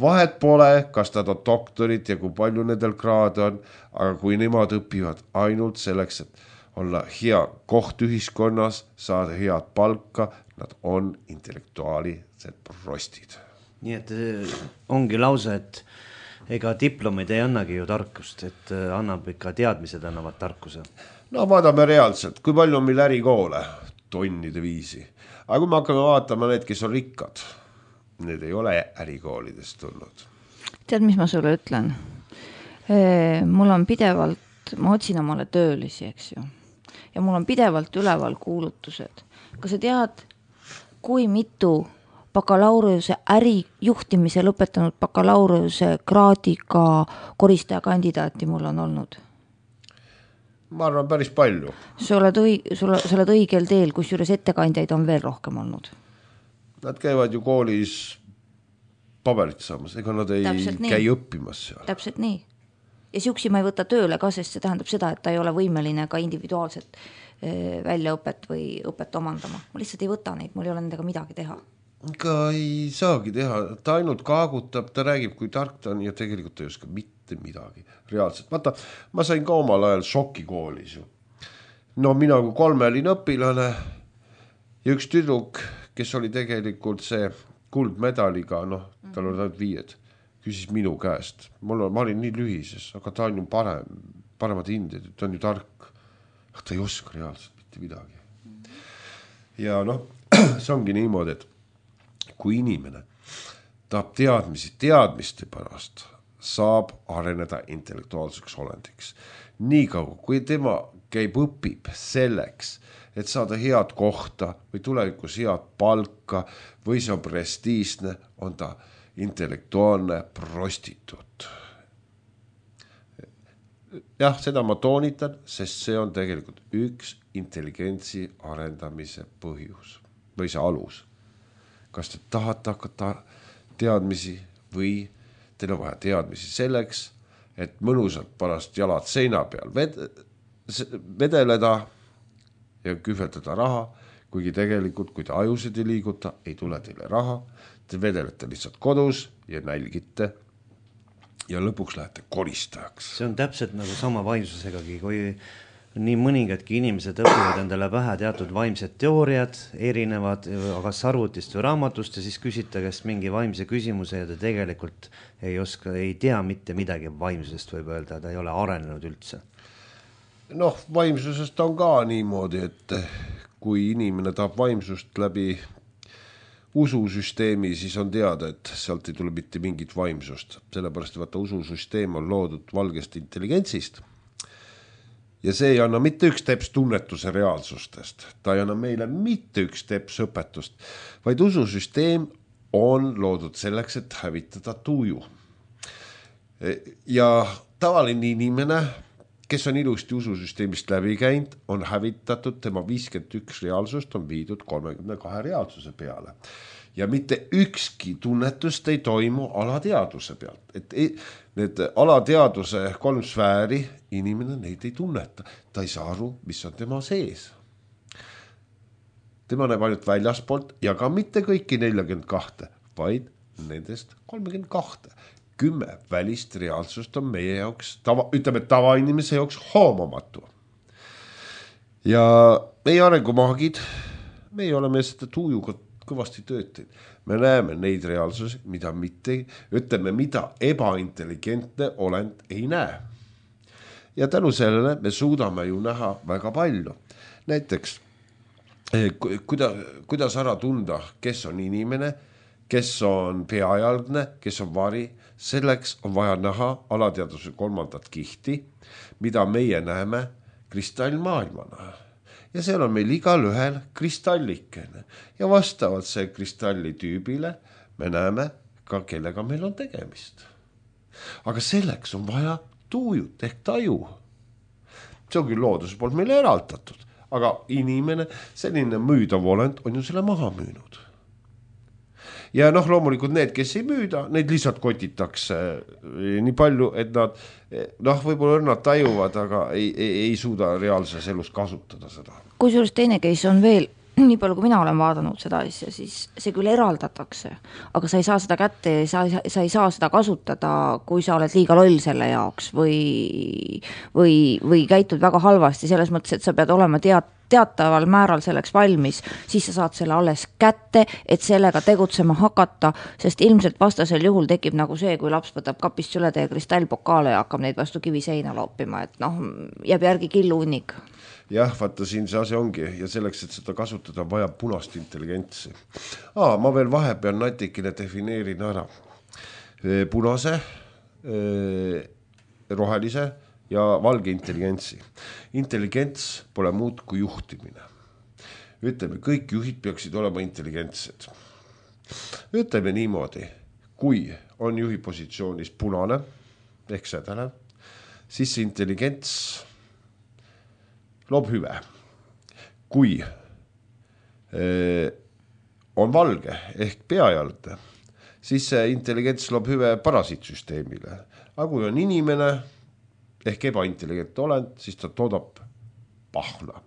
Vahet pole, kas nad on doktorid ja kui palju nendel kraad on, aga kui nemad õpivad ainult selleks, et olla hea koht ühiskonnas, saada head palka, nad on intellektuaalised prostid. Nii et ongi lause, et ega diplomid ei annagi ju tarkust, et annab ikka teadmised annavad tarkuse. No vaadame reaalselt, kui palju on meil ärikoole, tonnide viisi. Aga kui me hakkame vaatama need, kes on rikkad, need ei ole ärikoolidest tulnud. Tead, mis ma sulle ütlen? Mul on pidevalt, ma otsin omale töölisi, eks ju. Ja mul on pidevalt üleval kuulutused. Kas sa tead, kui mitu bakalaureuse äri juhtimise lõpetanud bakalaureuse kraadiga koristaja kandidaati mul on olnud? Ma arvan päris palju. Sa oled, õig- sa oled õigel teel, kus juures ettekandjaid on veel rohkem olnud. Nad käivad ju koolis paberit saamas, ega nad ei käi õppimas seal. Täpselt nii. Ja siuksi ma ei võta tööle ka, sest see tähendab seda, et ta ei ole võimeline ka individuaalset väljaõpet või õpet omandama. Ma lihtsalt ei võta neid, mul ei ole nendega midagi teha. Ka ei saagi teha, ta ainult kaagutab, ta räägib, kui tark ta on ja tegelikult ei oska mitte midagi. Reaalselt, vaata, ma sain ka omal ajal šoki koolis ju. No mina kui kolmeline õpilane ja üks tüdruk, kes oli tegelikult see kuldmedaliga, noh, tal oli ainult viied, küsis minu käest. Mul, ma olin nii lühises, aga ta on ju parem, paremad hinded, ta on ju tark. Ta ei oska reaalselt mitte midagi. Ja noh, see ongi niimoodi, et kui inimene tahab teadmisi teadmiste pärast, saab areneda intellektuaalseks olendiks. Nii kaua, kui tema käib õpib selleks, et saada head kohta või tulevikus head palka või see on prestiisne, on ta intellektuaalne prostituut. Jah, seda ma toonitan, sest see on tegelikult üks intelligentsi arendamise põhjus või see alus. Kas te tahate hakata teadmisi või teil on vaja teadmisi selleks, et mõnusalt pärast jalad seina peal ved- vedeleda ja kühveldada raha, kuigi tegelikult, kui te ajusid ei liiguta, ei tule teile raha, te vedelete lihtsalt kodus ja nälgite ja lõpuks lähete koristajaks. See on täpselt nagu sama vaimsusegagi, kui nii mõningadki inimesed õpivad endale pähe teatud vaimsed teooriad, erinevad, aga arvutist või raamatust ja siis küsite käest mingi vaimse küsimuse ja ta tegelikult ei oska, ei tea mitte midagi vaimsusest, võib öelda, ta ei ole arenenud üldse. Noh, vaimsusest on ka niimoodi, et kui inimene tahab vaimsust läbi ususüsteemi, siis on teada, et sealt ei tule mitte mingit vaimsust. Sellepärast, et ususüsteem on loodud valgest intelligentsist. Ja see ei anna mitte üks teps tunnetuse reaalsustest. Ta ei anna meile mitte üks teps õpetust, vaid ususüsteem on loodud selleks, et hävitada tuju. Ja tavaline inimene, kes on ilusti ususüsteemist läbi käinud, on hävitatud, tema viiskümmend üks reaalsust on viidud kolmekümne kahe reaalsuse peale. Ja mitte ükski tunnetust ei toimu alateaduse pealt. Et ei, need alateaduse kolm sfääri, inimene neid ei tunneta. Ta ei saa aru, mis on tema sees. Tema näeb ainult väljaspoolt ja ka mitte kõiki nelikümmend kaks, vaid nendest kolmekümmend kaks. Kümme välist reaalsust on meie jaoks, tava, ütleme tavainimese jaoks hoomamatu. Ja meie arengumaagid, meie oleme seda tujuga kõvasti töötid. Me näeme neid reaalsusi, mida mitte, ütleme, mida ebaintelligentne olend ei näe. Ja tänu sellele me suudame ju näha väga palju. Näiteks, kuida, kuidas ära tunda, kes on inimene, kes on peajalgne, kes on vari, selleks on vaja näha alateaduse kolmandat kihti, mida meie näeme kristallmaailmana. Ja seal on meil igal ühel kristallikene. Ja vastavalt see kristalli tüübile me näeme ka, kellega meil on tegemist. Aga selleks on vaja tuujut ehk taju. See on küll looduse poolt meile eraldatud, aga inimene, selline müüdav olend on ju selle maha müünud. Ja noh, loomulikult need, kes ei müüda, neid lihtsalt kotitakse nii palju, et nad, noh, võib-olla nad tajuvad, aga ei, ei, ei suuda reaalses elus kasutada seda. Kusjuures teine case on veel, nii palju kui mina olen vaadanud seda asja, siis see küll eraldatakse, aga sa ei saa seda kätte, sa, sa ei saa seda kasutada, kui sa oled liiga loll selle jaoks või, või, või käitud väga halvasti, selles mõttes, et sa pead olema tead, teataval määral selleks valmis, siis sa saad selle alles kätte, et sellega tegutsema hakata, sest ilmselt vastasel juhul tekib nagu see, kui laps võtab kapist süle teie kristallpokaale ja hakkab neid vastu kivi seina loopima, et noh, jääb järgi killu unnik. Jah, vaata siin see asi ongi ja selleks, et seda kasutada, vaja punast intelligentsi. Aa, ma veel vahepeal natikene defineerin ära punase, rohelise ja valge intelligentsi. Intelligents pole muud kui juhtimine. Ütleme, kõik juhid peaksid olema intelligentsed. Ütleme niimoodi, kui on juhi positsioonis punane ehk sädele, siis see intelligents loob hüve. Kui eh, on valge ehk peajalde, siis see intelligents loob hüve parasiitsüsteemile. Aga kui on inimene ehk ebaintelligentne olend, siis ta toodab pahna.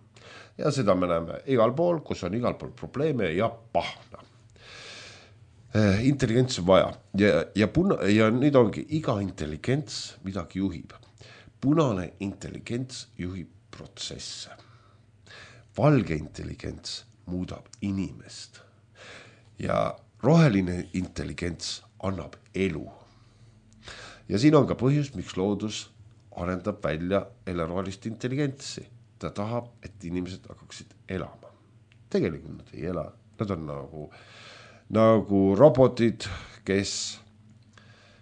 Ja seda me näeme igal pool, kus on igal pool probleeme ja pahna. Eh, intelligents on vaja. Ja, ja, puna, ja nüüd ongi iga intelligents midagi juhib. Punane intelligents juhib protsesse. Valge intelligents muudab inimest. Ja roheline intelligents annab elu. Ja siin on ka põhjus, miks loodus arendab välja elerohelist intelligentsi. Ta tahab, et inimesed hakkaksid elama. Tegelikult nad ei ela. Nad on nagu, nagu robotid, kes,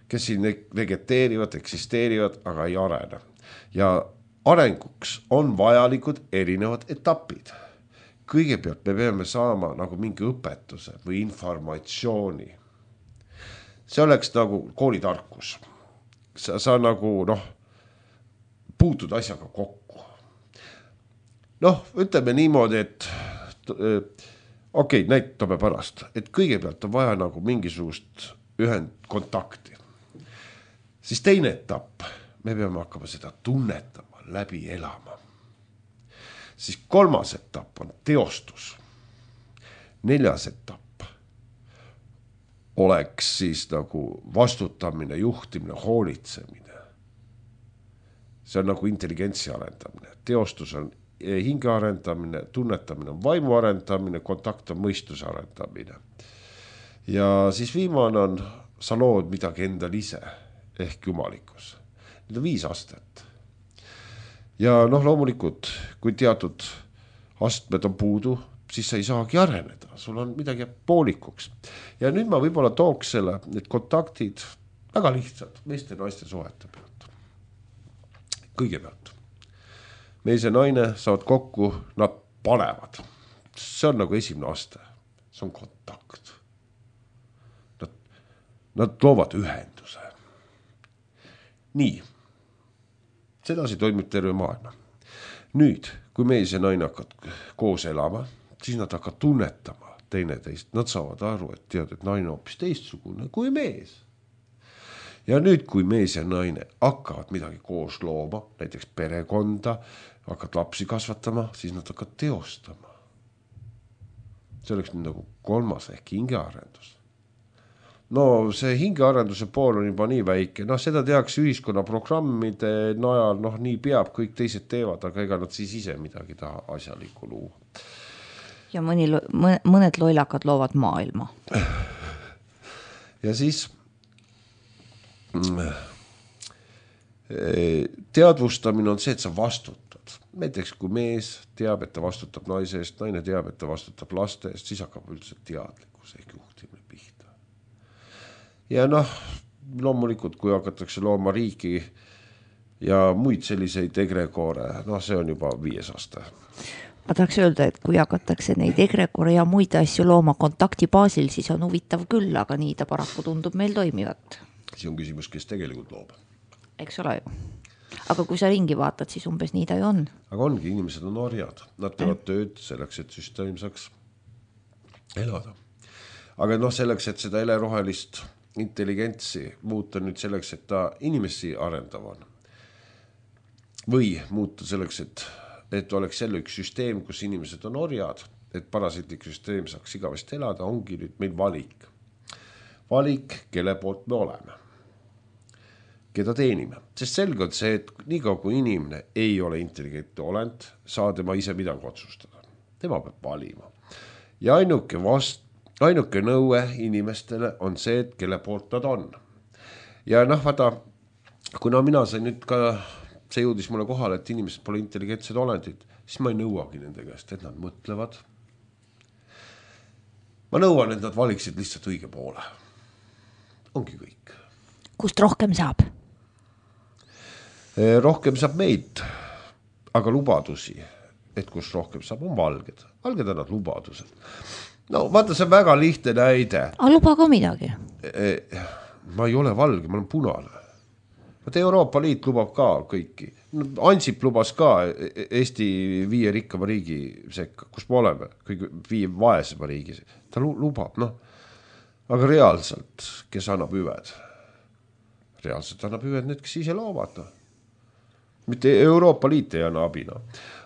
kes siin vegeteerivad, eksisteerivad, aga ei arene. Ja arenguks on vajalikud erinevad etapid. Kõigepealt me peame saama nagu mingi õpetuse või informatsiooni. See oleks nagu koolitarkus. Sa, sa nagu noh, puutud asjaga kokku. Noh, ütleme niimoodi, et okei, okay, näitame pärast, et kõigepealt on vaja nagu mingisugust ühendkontakti. Siis teine etapp, me peame hakkama seda tunnetama, läbi elama. Siis kolmas etapp on teostus. Neljas etapp oleks siis nagu vastutamine, juhtimine, hoolitsemine. See on nagu intelligentsi arendamine. Teostus on hinge arendamine, tunnetamine on vaimu arendamine, kontakt on mõistuse arendamine. Ja siis viimane on, sa lood midagi endal ise ehk jumalikkus. Need on viis astet. Ja noh, loomulikult, kui teatud astmed on puudu, siis sa ei saagi areneda. Sul on midagi poolikuks. Ja nüüd ma võib-olla tooks selle, need kontaktid väga lihtsad meeste ja naiste suhete pealt. Kõigepealt. Mees ja naine saavad kokku, nad panevad. See on nagu esimene aste. See on kontakt. Nad, nad loovad ühenduse. Nii. Sedasi toimib terve maailma. Nüüd, kui mees ja naine hakkavad koos elama, siis nad hakkavad tunnetama teineteist. Nad saavad aru, et tead, et naine on hoopis teistsugune kui mees. Ja nüüd, kui mees ja naine hakkavad midagi koos looma, näiteks perekonda, hakkavad lapsi kasvatama, siis nad hakkavad teostama. See oleks nüüd nagu kolmas ehk hingearendus. No see hingearenduse pool on juba nii väike, noh seda tehakse ühiskonna programmide najal, noh nii peab, kõik teised teevad, aga ega nad siis ise midagi taha asjalikku luua. Ja mõni, mõned loilakad loovad maailma. Ja siis teadvustamine on see, et sa vastutad. Näiteks kui mees teab, et ta vastutab naise eest, naine teab, et ta vastutab laste eest, siis hakkab üldse teadlikkus ehk juhtimine pihta. Ja noh, loomulikult, kui hakatakse looma riiki ja muid selliseid egregoore, noh see on juba viies aste. Ma tahaks öelda, et kui hakatakse neid egregoore ja muid asju looma kontakti baasil, siis on huvitav küll, aga nii ta paraku tundub meil toimivat. See on küsimus, kes tegelikult loob. Eks ole ju. Aga kui sa ringi vaatad, siis umbes nii ta ju on. Aga ongi, inimesed on orjad. Nad teevad tööd selleks, et süsteem saaks elada. Aga noh, selleks, et seda elerohelist intelligentsi muuta nüüd selleks, et ta inimesi arendav on. Või muuta selleks, et, et oleks selle üks süsteem, kus inimesed on orjad, et parasiitlik süsteem saaks igavest elada, ongi nüüd meil valik. Valik, kelle poolt me oleme. Keda teenime. Sest selge on see, et niikaua kui inimene ei ole intelligentne olend, saa tema ise midagi otsustada. Tema peab valima. Ja ainuke vast Ainuke nõue inimestele on see, et kelle poolt nad on. Ja noh, vaata, kuna mina sain nüüd ka, see jõudis mulle kohale, et inimesed pole intelligentsed olendid, siis ma ei nõuagi nende käest, et nad mõtlevad. Ma nõuan, et nad valiksid lihtsalt õige poole. Ongi kõik. Kust rohkem saab? Rohkem saab meid, aga lubadusi, et kus rohkem saab, on valged. Valged on nad lubadused. No vaata, see on väga lihtne näide. Aga luba ka midagi. Ma ei ole valge, ma olen punane. Vaata, Euroopa Liit lubab ka kõiki. Ansip lubas ka Eesti viie rikkama riigi sekka, kus me oleme, kõige viie vaesema riigi. Ta lubab, noh. Aga reaalselt, kes annab hüved? Reaalselt annab hüved need, kes ise loovad. No. Mitte Euroopa Liit ei anna abina.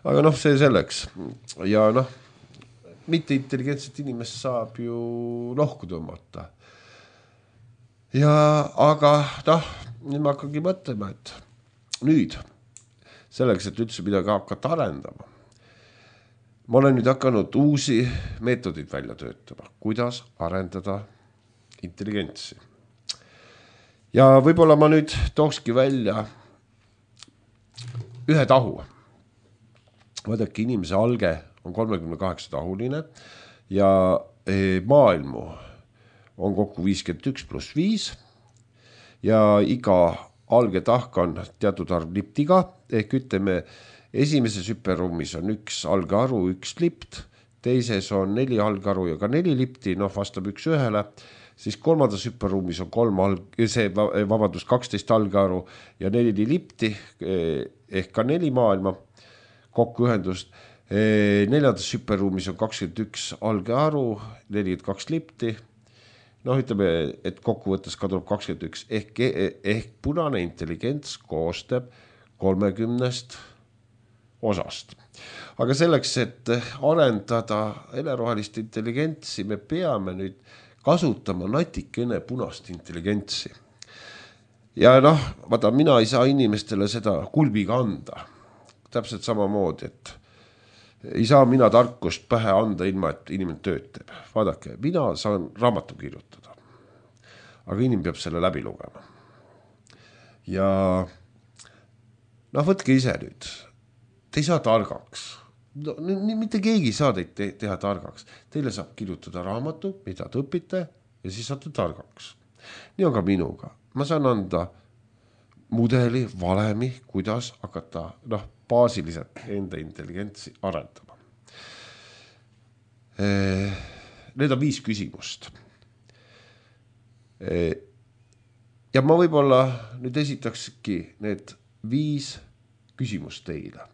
Aga noh, see selleks. Ja noh, mitte intelligentset inimest saab ju lohku tõmmata. Ja, aga noh, nüüd ma hakkangi mõtlema, et nüüd selleks, et üldse midagi hakata arendama, ma olen nüüd hakanud uusi meetodid välja töötama, kuidas arendada intelligentsi. Ja võib-olla ma nüüd tookski välja ühe tahu. Vaadake, inimese alge on kolmekümne kaheksa tahuline ja maailmu on kokku viiskümmend üks pluss viis ja iga alge tahk on teatud arv liptiga, ehk ütleme, esimeses hüperruumis on üks algearu, üks lipt, teises on neli algearu ja ka neli lipti, noh vastab üks ühele, siis kolmandas hüperruumis on kolm alg-, see vabandus kaksteist algearu ja neli lipti, ehk ka neli maailma kokkuühendust. Neljandas hüperruumis on kakskümmend üks algearu, nelikümmend kaks lipti, noh ütleme, et kokkuvõttes kadub kakskümmend üks, ehk, ehk punane intelligents koostab kolmekümnest osast. Aga selleks, et arendada helerohelist intelligentsi, me peame nüüd kasutama natikene punast intelligentsi. Ja noh, vaata, mina ei saa inimestele seda kulbiga anda. Täpselt samamoodi, et ei saa mina tarkust pähe anda ilma, et inimene tööd teeb. Vaadake, mina saan raamatu kirjutada, aga inimene peab selle läbi lugema. Ja noh, võtke ise nüüd. Te ei saa targaks. No, mitte keegi ei saa teid te- teha targaks. Teile saab kirjutada raamatu, mida te õpite ja siis saate targaks. Nii on ka minuga. Ma saan anda mudeli, valemi, kuidas hakata noh, baasiliselt enda intelligentsi arendama. Need on viis küsimust. Ja ma võib-olla nüüd esitakski need viis küsimust teile.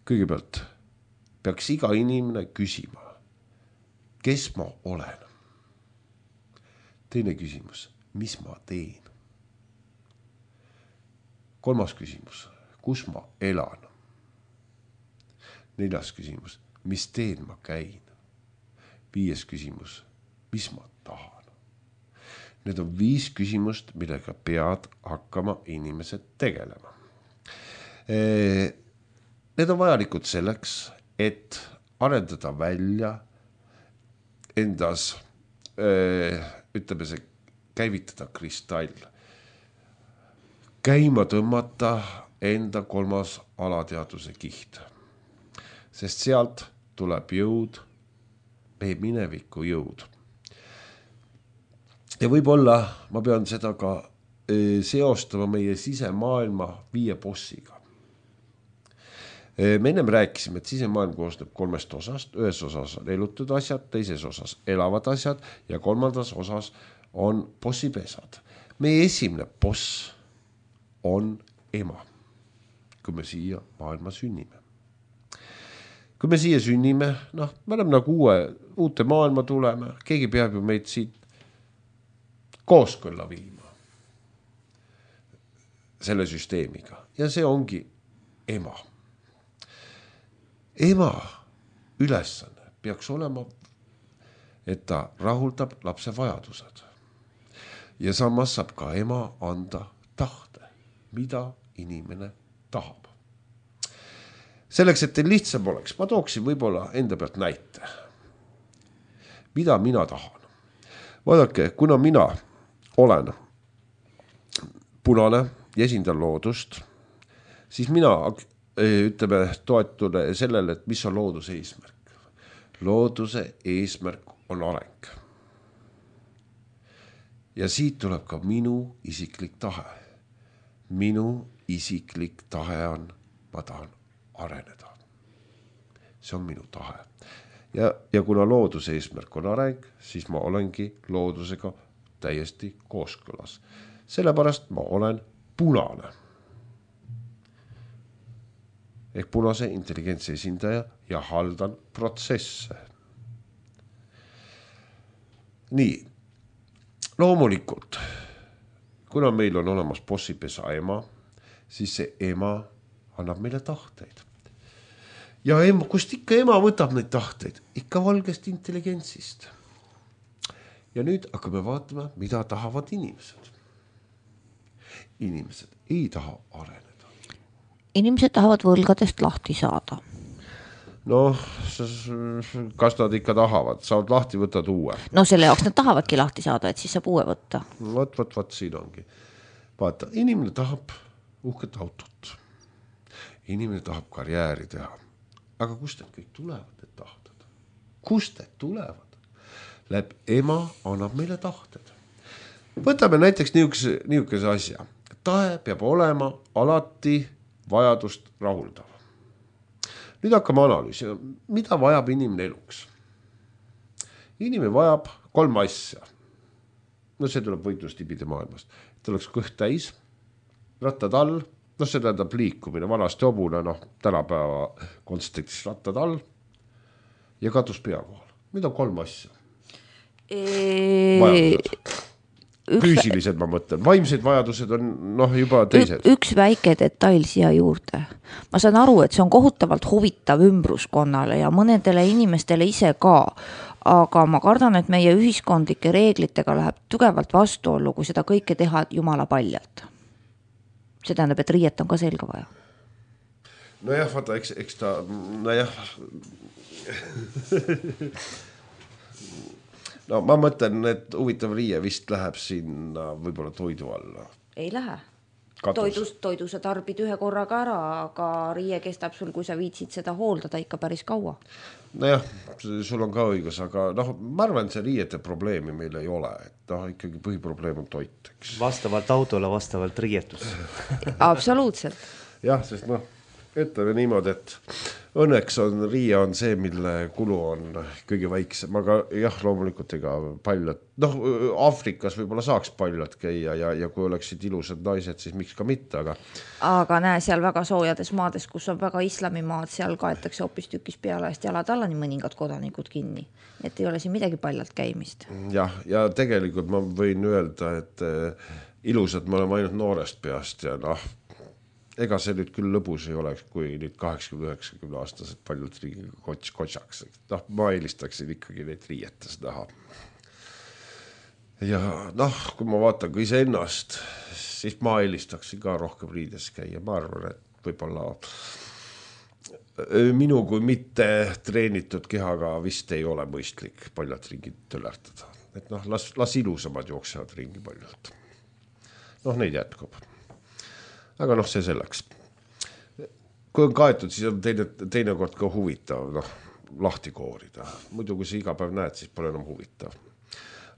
Kõigepealt peaks iga inimene küsima, kes ma olen. Teine küsimus, mis ma teen. Kolmas küsimus, kus ma elan. Neljas küsimus, mis teen ma käin. Viies küsimus, mis ma tahan. Need on viis küsimust, millega pead hakkama inimesed tegelema. Need on vajalikud selleks, et arendada välja endas, ütleme see, käivitada kristall. Käima tõmmata enda kolmas alateaduse kiht. Sest sealt tuleb jõud, meie mineviku jõud. Ja võib-olla ma pean seda ka seostama meie sisemaailma viie bossiga. Me ennem rääkisime, et sisemaailm koosneb kolmest osast. Ühes osas on elutud asjad, teises osas elavad asjad ja kolmandas osas on bossipesad. Meie esimene boss on ema, kui me siia maailma sünnime. Kui me siia sünnime, noh, me oleme nagu uue, uute maailma tuleme, keegi peab ju meid siit kooskõlla viima selle süsteemiga ja see ongi ema. Ema ülesanne peaks olema, et ta rahuldab lapse vajadused. Ja samas saab ka ema anda tahte, mida inimene tahab. Selleks, et teil lihtsam oleks, ma tooksin võib-olla enda pealt näite. Mida mina tahan? Vaadake, kuna mina olen punane ja esindan loodust, siis mina ütleme toetule sellele, et mis on looduse eesmärk. Looduse eesmärk on areng. Ja siit tuleb ka minu isiklik tahe. Minu isiklik tahe on, ma tahan areneda. See on minu tahe. Ja, ja kuna looduse eesmärk on areng, siis ma olengi loodusega täiesti kooskõlas. Sellepärast ma olen punane. Ehk punase intelligentsi esindaja ja haldan protsesse. Nii, loomulikult, kuna meil on olemas bossipesa ema, siis see ema annab meile tahteid. Ja ema, kust ikka ema võtab neid tahteid? Ikka valgest intelligentsist. Ja nüüd hakkame vaatama, mida tahavad inimesed. Inimesed ei taha areneda. Inimesed tahavad võlgadest lahti saada. noh, kas nad ikka tahavad, saavad lahti, võtad uue. No selle jaoks nad tahavadki lahti saada, et siis saab uue võtta. Võt, võt, võt, siin ongi. Vaata, inimene tahab uhket autot. Inimene tahab karjääri teha. Aga kust need kõik tulevad, need tahted? Kust need tulevad? Läb ema annab meile tahted. Võtame näiteks niisuguse, niisuguse asja. Tahe peab olema alati vajadust rahuldav. Nüüd hakkame analüüsima, mida vajab inimene eluks. Inimene vajab kolm asja. No see tuleb võitlustibide maailmast. Et oleks kõht täis, rattad all, no see tähendab liikumine, vanasti hobune, noh, tänapäeva kontekstis rattad all ja katus pea kohal. Mida on kolm asja? E... Vajadused. Füüsilised ma mõtlen, vaimsed vajadused on noh juba teised. Üks väike detail siia juurde. Ma saan aru, et see on kohutavalt huvitav ümbruskonnale ja mõnedele inimestele ise ka, aga ma kardan, et meie ühiskondlike reeglitega läheb tugevalt vastuollu, kui seda kõike teha jumala paljalt. See tähendab, et riiet on ka selga vaja. No jah, vaata, eks, eks ta, no jah... No ma mõtlen, et huvitav riie vist läheb sinna võib-olla toidu alla. Ei lähe. Toidus, toidu sa tarbid ühe korraga ära, aga riie kestab sul, kui sa viitsid seda hooldada ikka päris kaua. No jah, sul on ka õigus, aga noh, ma arvan, see riiete probleemi meil ei ole. Et noh, ikkagi põhiprobleem on toit. Eks. Vastavalt autole, vastavalt riietus. Absoluutselt. Jah, sest noh, ütleme niimoodi, et õnneks on riie on see, mille kulu on kõige väiksem, aga jah, loomulikult ega paljad, noh, Aafrikas võib-olla saaks paljad käia ja, ja kui oleksid ilusad naised, siis miks ka mitte, aga aga näe, seal väga soojades maades, kus on väga islamimaad, seal kaetakse hoopis tükis peale eest jalad alla nii mõningad kodanikud kinni, et ei ole siin midagi paljalt käimist. Jah, ja tegelikult ma võin öelda, et ilusad me oleme ainult noorest peast ja noh, ega see nüüd küll lõbus ei oleks, kui nüüd kaheksakümne üheksakümne aastased paljud riigiga kotsaks. Noh, ma eelistaksin ikkagi neid riietes näha. Ja noh, kui ma vaatan ka ise ennast, siis ma eelistaksin ka rohkem riides käia. Ma arvan, et võib-olla minu kui mitte treenitud kehaga vist ei ole mõistlik paljad ringid tölärtada. Et noh, las, las ilusamad jooksevad ringi paljalt. Noh, neid jätkub. Aga noh, see selleks. Kui on kaetud, siis on teine, teine kord ka huvitav, noh, lahti koorida. Muidu, kui see iga päev näed, siis pole enam huvitav.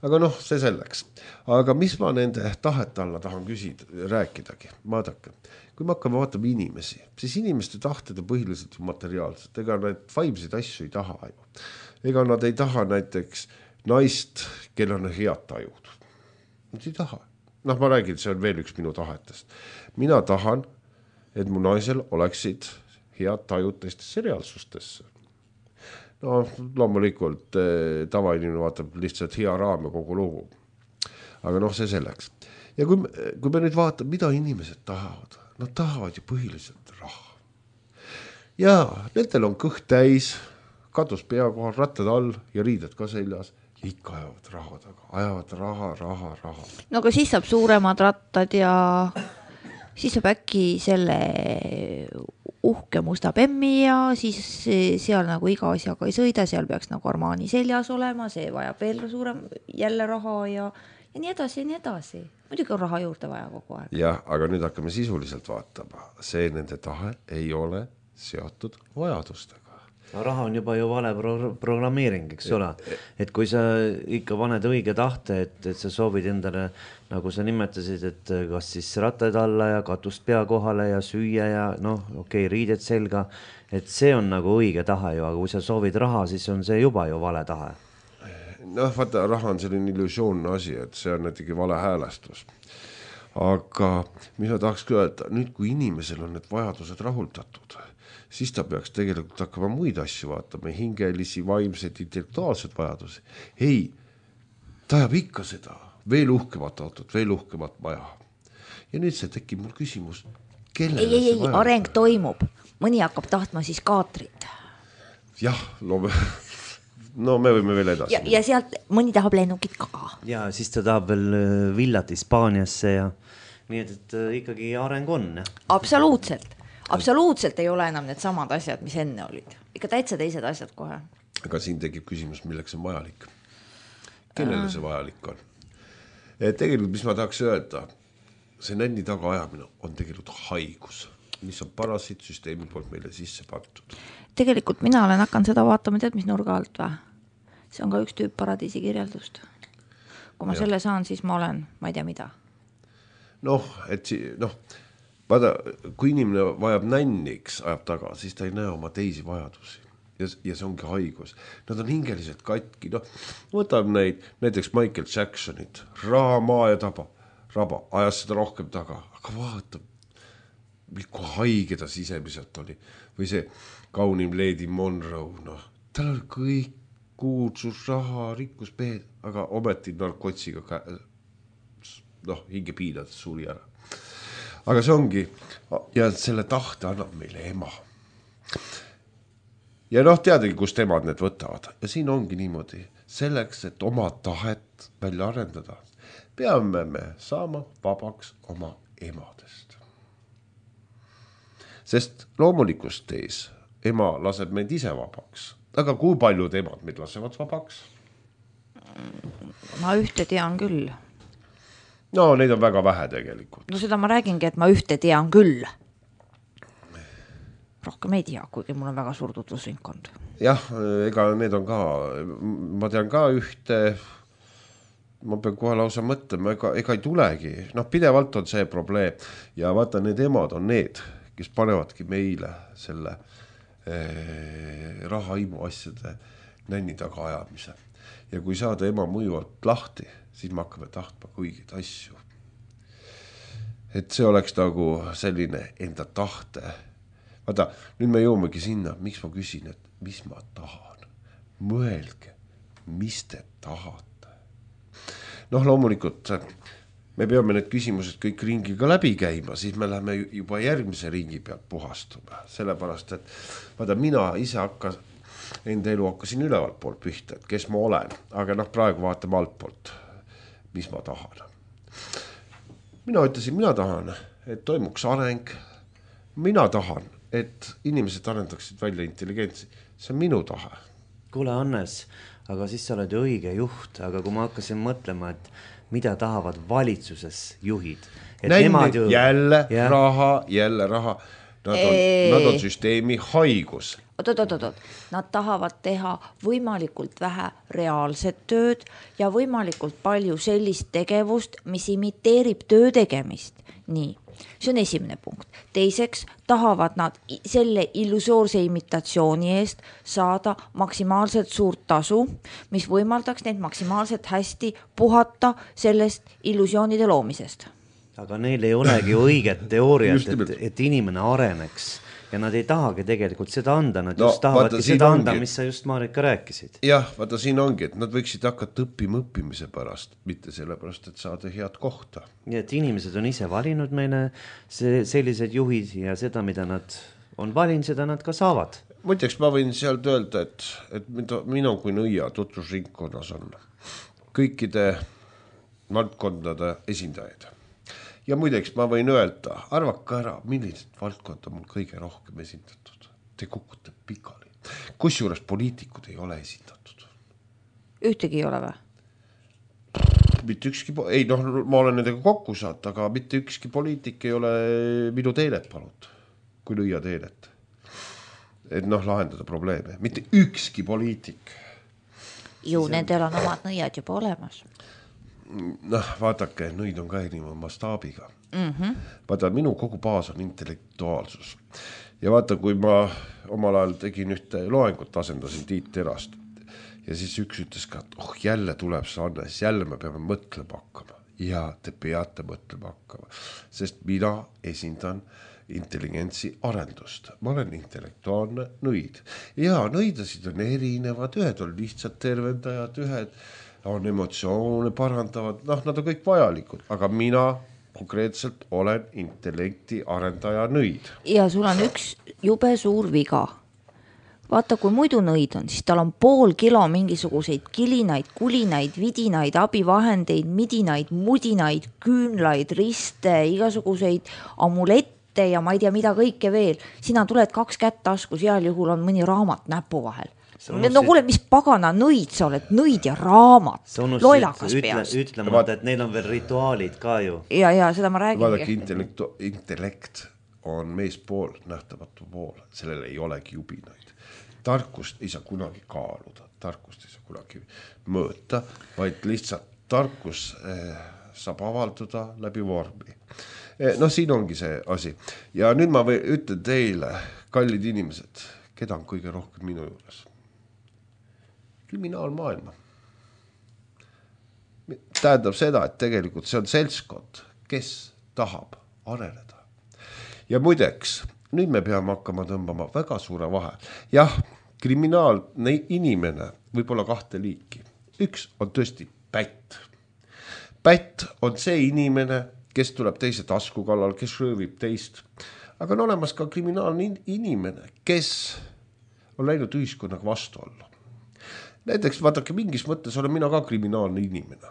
Aga noh, see selleks. Aga mis ma nende tahet alla tahan küsida, rääkidagi? Vaadake, kui me hakkame vaatama inimesi, siis inimeste tahted on põhiliselt ju materiaalsed. Ega need vaimseid asju ei taha ju. Ega nad ei taha näiteks naist, kel on head tajud. Nad ei taha. Noh, ma räägin, see on veel üks minu tahetest. Mina tahan, et mu naisel oleksid head tajud teistesse reaalsustesse. No, loomulikult tavainimene vaatab lihtsalt hea raam ja kogu lugu. Aga noh, see selleks. Ja kui, kui me nüüd vaatame, mida inimesed tahavad, nad tahavad ju põhiliselt raha. Ja nendel on kõht täis, katus pea kohal, rattad all ja riided ka seljas. Ja ikka ajavad raha taga, ajavad raha, raha, raha. No aga siis saab suuremad rattad ja siis saab äkki selle uhke musta bemmi ja siis seal nagu iga asjaga ei sõida, seal peaks nagu Armani seljas olema, see vajab veel suurem jälle raha ja, ja nii edasi ja nii edasi. Muidugi on raha juurde vaja kogu aeg. Jah, aga nüüd hakkame sisuliselt vaatama. See nende tahe ei ole seotud vajadustega. No, raha on juba ju vale pro- programmeering, eks ole. Et kui sa ikka paned õige tahte, et, et sa soovid endale, nagu sa nimetasid, et kas siis rattad alla ja katust pea kohale ja süüa ja noh, okei, okay, riided selga, et see on nagu õige tahe ju, aga kui sa soovid raha, siis on see juba ju vale tahe. Noh, vaata, raha on selline illusioonne asi, et see on näitegi vale häälestus. Aga mis ma tahaks öelda, nüüd kui inimesel on need vajadused rahuldatud, siis ta peaks tegelikult hakkama muid asju vaatama, hingelisi, vaimseid, intellektuaalsed vajadusi. Ei, ta jääb ikka seda, veel uhkemat autot, veel uhkemat maja. Ja nüüd see tekib mul küsimus, kellele ei, ei, ei, areng toimub. Mõni hakkab tahtma siis kaatrit. Jah, loome... no me võime veel edasi. Ja, ja sealt mõni tahab lennukit ka. Ja siis ta tahab veel villat Hispaaniasse ja nii et, et ikkagi areng on. Absoluutselt. absoluutselt ei ole enam need samad asjad, mis enne olid. Ikka täitsa teised asjad kohe. Aga siin tekib küsimus, milleks on vajalik. Kellele see vajalik on? Et tegelikult, mis ma tahaks öelda, see nänni taga ajamine on tegelikult haigus, mis on parasiitsüsteemi poolt meile sisse pandud. Tegelikult mina olen hakanud seda vaatama, tead, mis nurga alt või? See on ka üks tüüp paradiisi kirjeldust. Kui ma ja. selle saan, siis ma olen, ma ei tea mida. Noh, et si, noh, vaada, kui inimene vajab nänniks, ajab taga, siis ta ei näe oma teisi vajadusi. Ja, ja see ongi haigus. Nad on hingeliselt katki. No, võtab neid, näiteks Michael Jacksonit, raha, maa ja taba, raba, ajas seda rohkem taga. Aga vaata, kui haige ta sisemiselt oli. Või see kaunim Lady Monroe, noh, tal oli kõik kuulsus, raha, rikkus, peed, aga ometi narkotsiga ka, noh, hinge piinades suri ära. Aga see ongi, ja selle tahte annab meile ema. Ja noh, teadagi, kust emad need võtavad. Ja siin ongi niimoodi, selleks, et oma tahet välja arendada, peame me saama vabaks oma emadest. Sest loomulikust tees ema laseb meid ise vabaks. Aga kui paljud emad meid lasevad vabaks? Ma ühte tean küll. No, neid on väga vähe tegelikult. No seda ma räägingi, et ma ühte tean küll. Rohkem ei tea, kuigi mul on väga suur tutvusringkond. Jah, ega need on ka, ma tean ka ühte, ma pean kohe lausa mõtlema, ega, ega ei tulegi. Noh, pidevalt on see probleem. Ja vaata, need emad on need, kes panevadki meile selle eh, rahaimu asjade nänni taga ajamise. Ja kui saada ema mõjuvalt lahti, siis me hakkame tahtma kõigid asju. Et see oleks nagu selline enda tahte. Vaata, nüüd me jõumegi sinna, miks ma küsin, et mis ma tahan. Mõelge, mis te tahate. Noh, loomulikult me peame need küsimused kõik ringiga läbi käima, siis me läheme juba järgmise ringi pealt puhastuma. Sellepärast, et vaata, mina ise hakkas, enda elu hakkasin ülevalt poolt pihta, et kes ma olen. Aga noh, praegu vaatame alt poolt, mis ma tahan. Mina ütlesin, mina tahan, et toimuks areng. Mina tahan, et inimesed arendaksid välja intelligentsi. See on minu tahe. Kuule, Hannes, aga siis sa oled ju õige juht, aga kui ma hakkasin mõtlema, et mida tahavad valitsuses juhid. Et Nänni, ju... jälle ja... raha, jälle raha. Nad on, nad on süsteemi haigus. Oot, oot, oot, oot. Nad tahavad teha võimalikult vähe reaalset tööd ja võimalikult palju sellist tegevust, mis imiteerib töö tegemist. Nii. See on esimene punkt. Teiseks tahavad nad selle illusoorse imitatsiooni eest saada maksimaalselt suurt tasu, mis võimaldaks neid maksimaalselt hästi puhata sellest illusioonide loomisest. Aga neil ei olegi õiget teooriat, et, et inimene areneks. Ja nad ei tahagi tegelikult seda anda, nad no, just tahavadki vaata, seda anda, ongi... mis sa just Marika rääkisid. Jah, vaata siin ongi, et nad võiksid hakata õppima õppimise pärast, mitte selle pärast, et saada head kohta. Ja et inimesed on ise valinud meile see, sellised juhid ja seda, mida nad on valinud, seda nad ka saavad. Muideks ma võin sealt öelda, et, et minu kui nõia tutvusringkonnas on kõikide valdkondade esindajaid. Ja muideks ma võin öelda, arvaka ära, millised valdkond on mul kõige rohkem esindatud. Te kukute pikali. Kusjuures poliitikud ei ole esindatud. Ühtegi ei ole või? Mitte ükski, ei noh, ma olen nendega kokku saat, aga mitte ükski poliitik ei ole minu teenet palut, kui lüüa teenet. Et noh, lahendada probleeme. Mitte ükski poliitik. Ju, siis nendel on omad nõiad juba olemas. Noh, vaatake, nõid on ka erineva mastaabiga. Mm-hmm. Vaata, minu kogu baas on intellektuaalsus. Ja vaata, kui ma omal ajal tegin ühte loengut, asendasin Tiit Terast. Ja siis üks ütles ka, et oh, jälle tuleb see Hannes, jälle me peame mõtlema hakkama. Ja te peate mõtlema hakkama. Sest mina esindan intelligentsi arendust. Ma olen intellektuaalne nõid. Ja nõidasid on erinevad, ühed on lihtsalt tervendajad, ühed on emotsioone parandavad, noh, nad on kõik vajalikud, aga mina konkreetselt olen intellekti arendaja nõid. Ja sul on üks jube suur viga. Vaata, kui muidu nõid on, siis tal on pool kilo mingisuguseid kilinaid, kulinaid, vidinaid, abivahendeid, midinaid, mudinaid, küünlaid, riste, igasuguseid amulette pilte ja ma ei tea, mida kõike veel. Sina tuled kaks kätt taskus, heal juhul on mõni raamat näpu vahel. Unustasid... No kuule, mis pagana nõid sa oled, nõid ja raamat, loilakas ütle, peas. Ütlemata, et neil on veel rituaalid ka ju. Ja, ja seda ma räägin. Vaadake, intellekt, intellekt on meespool, nähtamatu pool, sellel ei olegi jubinaid. Tarkust ei saa kunagi kaaluda, tarkust ei saa kunagi mõõta, vaid lihtsalt tarkus eh, saab avalduda läbi vormi. Eh, no siin ongi see asi. Ja nüüd ma või, ütlen teile, kallid inimesed, keda on kõige rohkem minu juures? Kriminaalmaailma. Tähendab seda, et tegelikult see on seltskond, kes tahab areneda. Ja muideks, nüüd me peame hakkama tõmbama väga suure vahe. Jah, kriminaalne inimene võib olla kahte liiki. Üks on tõesti pätt. Pätt on see inimene, kes tuleb teise tasku kallal, kes röövib teist. Aga on olemas ka kriminaalne inimene, kes on läinud ühiskonnaga vastu olla. Näiteks, vaadake, mingis mõttes olen mina ka kriminaalne inimene.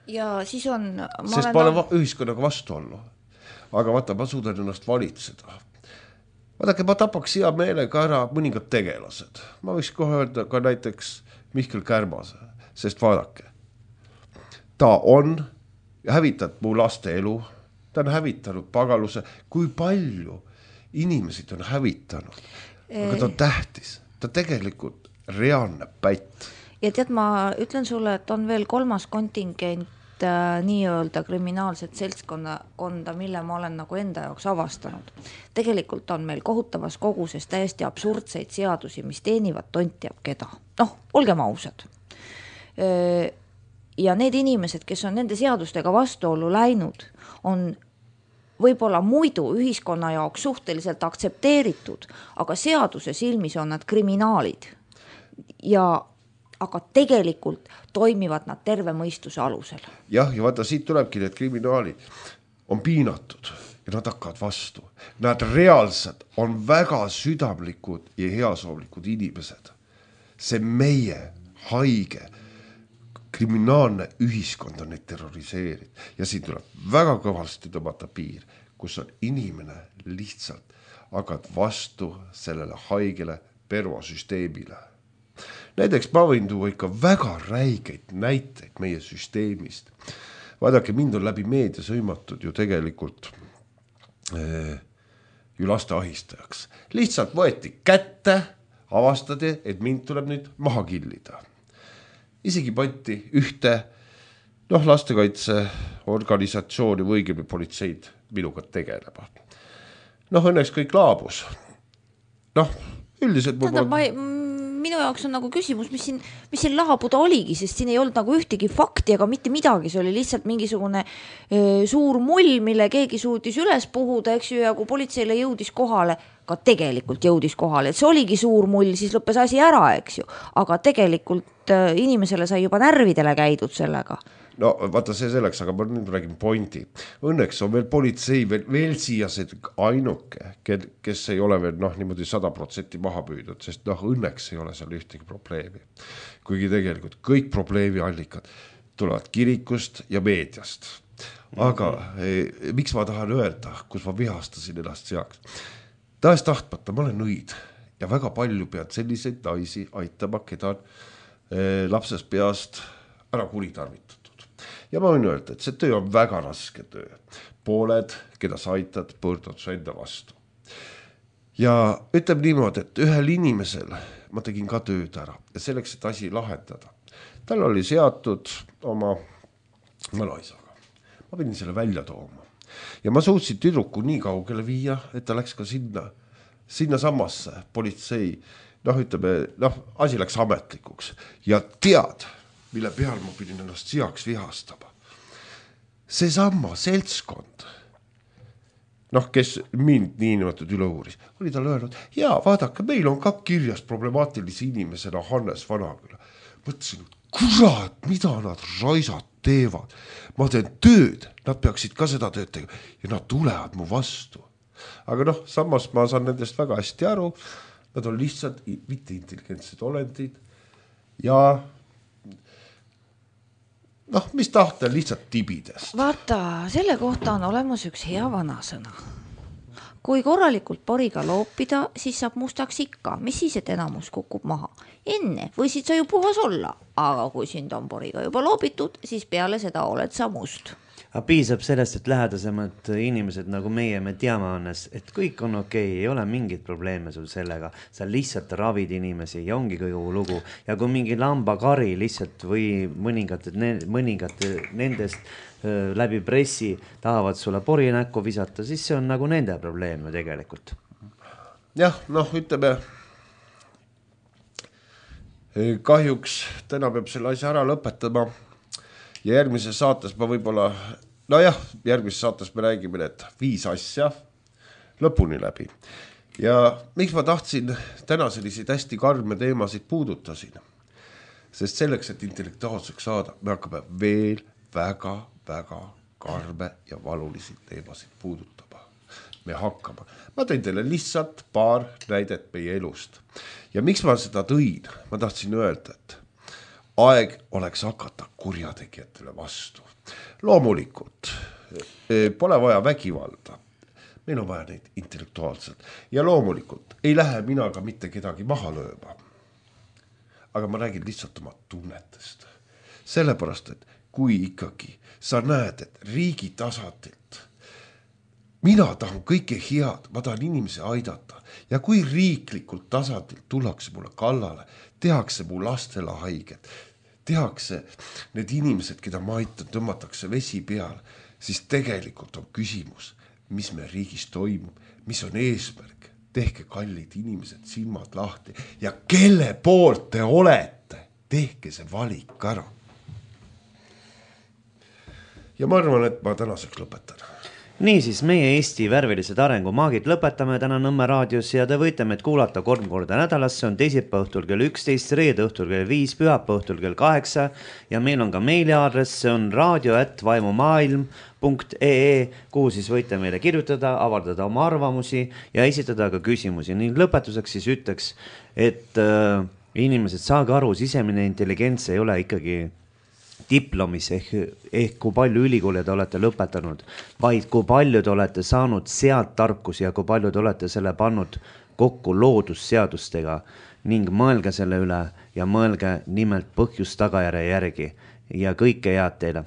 Ja siis on... Ma Sest olen... ma olen va- ühiskonnaga vastu olla. Aga vaata, ma suudan ennast valitseda. Vaadake, ma tapaks hea meelega ära mõningad tegelased. Ma võiks kohe öelda ka näiteks Mihkel Kärmase, sest vaadake, ta on hävitanud mu laste elu, ta on hävitanud pagaluse, kui palju inimesid on hävitanud, aga ta on tähtis, ta tegelikult reaalne pätt. Ja tead, ma ütlen sulle, et on veel kolmas kontingent äh, nii-öelda kriminaalset seltskonda, mille ma olen nagu enda jaoks avastanud. Tegelikult on meil kohutavas koguses täiesti absurdseid seadusi, mis teenivad tont teab keda. Noh, olgem ausad. Ja need inimesed, kes on nende seadustega vastuollu läinud, on võib-olla muidu ühiskonna jaoks suhteliselt aktsepteeritud, aga seaduse silmis on nad kriminaalid. Ja aga tegelikult toimivad nad terve mõistuse alusel. Jah, ja vaata, siit tulebki need kriminaalid on piinatud ja nad hakkavad vastu. Nad reaalselt on väga südamlikud ja heasoovlikud inimesed. See meie haige kriminaalne ühiskond on neid terroriseerinud ja siin tuleb väga kõvasti tõmmata piir, kus on inimene lihtsalt hakkad vastu sellele haigele pervosüsteemile. Näiteks ma võin tuua ikka väga räigeid näiteid meie süsteemist. Vaadake, mind on läbi meedia sõimatud ju tegelikult eh, ju laste ahistajaks. Lihtsalt võeti kätte, avastati, et mind tuleb nüüd maha killida. Isegi pandi ühte noh, lastekaitse organisatsiooni või õigemini politseid minuga tegelema. Noh, õnneks kõik laabus. Noh, üldiselt... Tähendab, ma ei... Minu jaoks on nagu küsimus, mis siin, mis siin laabuda oligi, sest siin ei olnud nagu ühtegi fakti ega mitte midagi, see oli lihtsalt mingisugune öö, suur mull, mille keegi suutis üles puhuda, eks ju, ja kui politseile jõudis kohale, ka tegelikult jõudis kohale, et see oligi suur mull, siis lõppes asi ära, eks ju, aga tegelikult öö, inimesele sai juba närvidele käidud sellega. No vaata see selleks, aga ma nüüd räägin pointi. Õnneks on veel politsei veel, veel siia see ainuke, kes ei ole veel noh, niimoodi sada protsenti maha püüdnud, sest noh, õnneks ei ole seal ühtegi probleemi. Kuigi tegelikult kõik probleemi allikad tulevad kirikust ja meediast. Aga eh, miks ma tahan öelda, kus ma vihastasin ennast seaks? Tahes tahtmata, ma olen nõid ja väga palju pead selliseid naisi aitama, keda on eh, lapsest peast ära kuritarvitud. Ja ma võin öelda, et see töö on väga raske töö. Pooled, keda sa aitad, pöördud su enda vastu. Ja ütleb niimoodi, et ühel inimesel ma tegin ka tööd ära ja selleks, et asi lahendada. Tal oli seatud oma mõlaisaga. Ma pidin selle välja tooma. Ja ma suutsin tüdruku nii kaugele viia, et ta läks ka sinna, sinna samasse politsei. Noh, ütleme, noh, asi läks ametlikuks. Ja tead, mille peal ma pidin ennast seaks vihastama. See samma seltskond, noh, kes mind nii nimetud üle uuris, oli tal öelnud, jaa, vaadake, meil on ka kirjas problemaatilisi inimesena Hannes Vanaküla. Mõtlesin, kurat, mida nad raisad teevad. Ma teen tööd, nad peaksid ka seda tööd tegema ja nad tulevad mu vastu. Aga noh, samas ma saan nendest väga hästi aru, nad on lihtsalt mitte intelligentsed olendid ja noh, mis tahta lihtsalt tibidest. Vaata, selle kohta on olemas üks hea vanasõna. Kui korralikult poriga loopida, siis saab mustaks ikka, mis siis, et enamus kukub maha. Enne võisid sa ju puhas olla, aga kui sind on poriga juba loobitud, siis peale seda oled sa must. Aga piisab sellest, et lähedasemad inimesed nagu meie, me teame annes, et kõik on okei, ei ole mingit probleeme sul sellega. Sa lihtsalt ravid inimesi ja ongi kogu lugu. Ja kui mingi lambakari lihtsalt või mõningad, mõningad nendest läbi pressi tahavad sulle pori näkku visata, siis see on nagu nende probleem ju tegelikult. Jah, noh, ütleme, kahjuks täna peab selle asja ära lõpetama ja järgmises saates ma võib-olla, no jah, järgmises saates me räägime need viis asja lõpuni läbi. Ja miks ma tahtsin täna selliseid hästi karme teemasid puudutasin? Sest selleks, et intellektuaalseks saada, me hakkame veel väga väga karme ja valulisi teemasid puudutama. Me hakkama. Ma tõin teile lihtsalt paar näidet meie elust. Ja miks ma seda tõin? Ma tahtsin öelda, et aeg oleks hakata kurjategijatele vastu. Loomulikult pole vaja vägivalda. Meil on vaja neid intellektuaalselt. Ja loomulikult ei lähe mina ka mitte kedagi maha lööma. Aga ma räägin lihtsalt oma tunnetest. Sellepärast, et kui ikkagi sa näed, et riigi tasandilt mina tahan kõike head, ma tahan inimesi aidata ja kui riiklikult tasandilt tullakse mulle kallale, tehakse mu lastele haiget, tehakse need inimesed, keda ma aitan, tõmmatakse vesi peal, siis tegelikult on küsimus, mis me riigis toimub, mis on eesmärk, tehke kallid inimesed silmad lahti ja kelle poolt te olete, tehke see valik ära. Ja ma arvan, et ma tänaseks lõpetan. Nii siis meie Eesti värvilised arengumaagid lõpetame täna Nõmme raadios ja te võite meid kuulata kolm korda nädalas, see on teisipäeva õhtul kell üksteist, reede õhtul kell viis, pühapäeva õhtul kell kaheksa ja meil on ka meiliaadress, see on radio at vaimumaailm punkt ee, kuhu siis võite meile kirjutada, avaldada oma arvamusi ja esitada ka küsimusi. Ning lõpetuseks siis ütleks, et äh, inimesed saage aru, sisemine intelligents ei ole ikkagi diplomis ehk, ehk kui palju ülikooli te olete lõpetanud, vaid kui palju te olete saanud sealt tarkusi ja kui palju te olete selle pannud kokku loodusseadustega ning mõelge selle üle ja mõelge nimelt põhjus tagajärje järgi ja kõike head teile.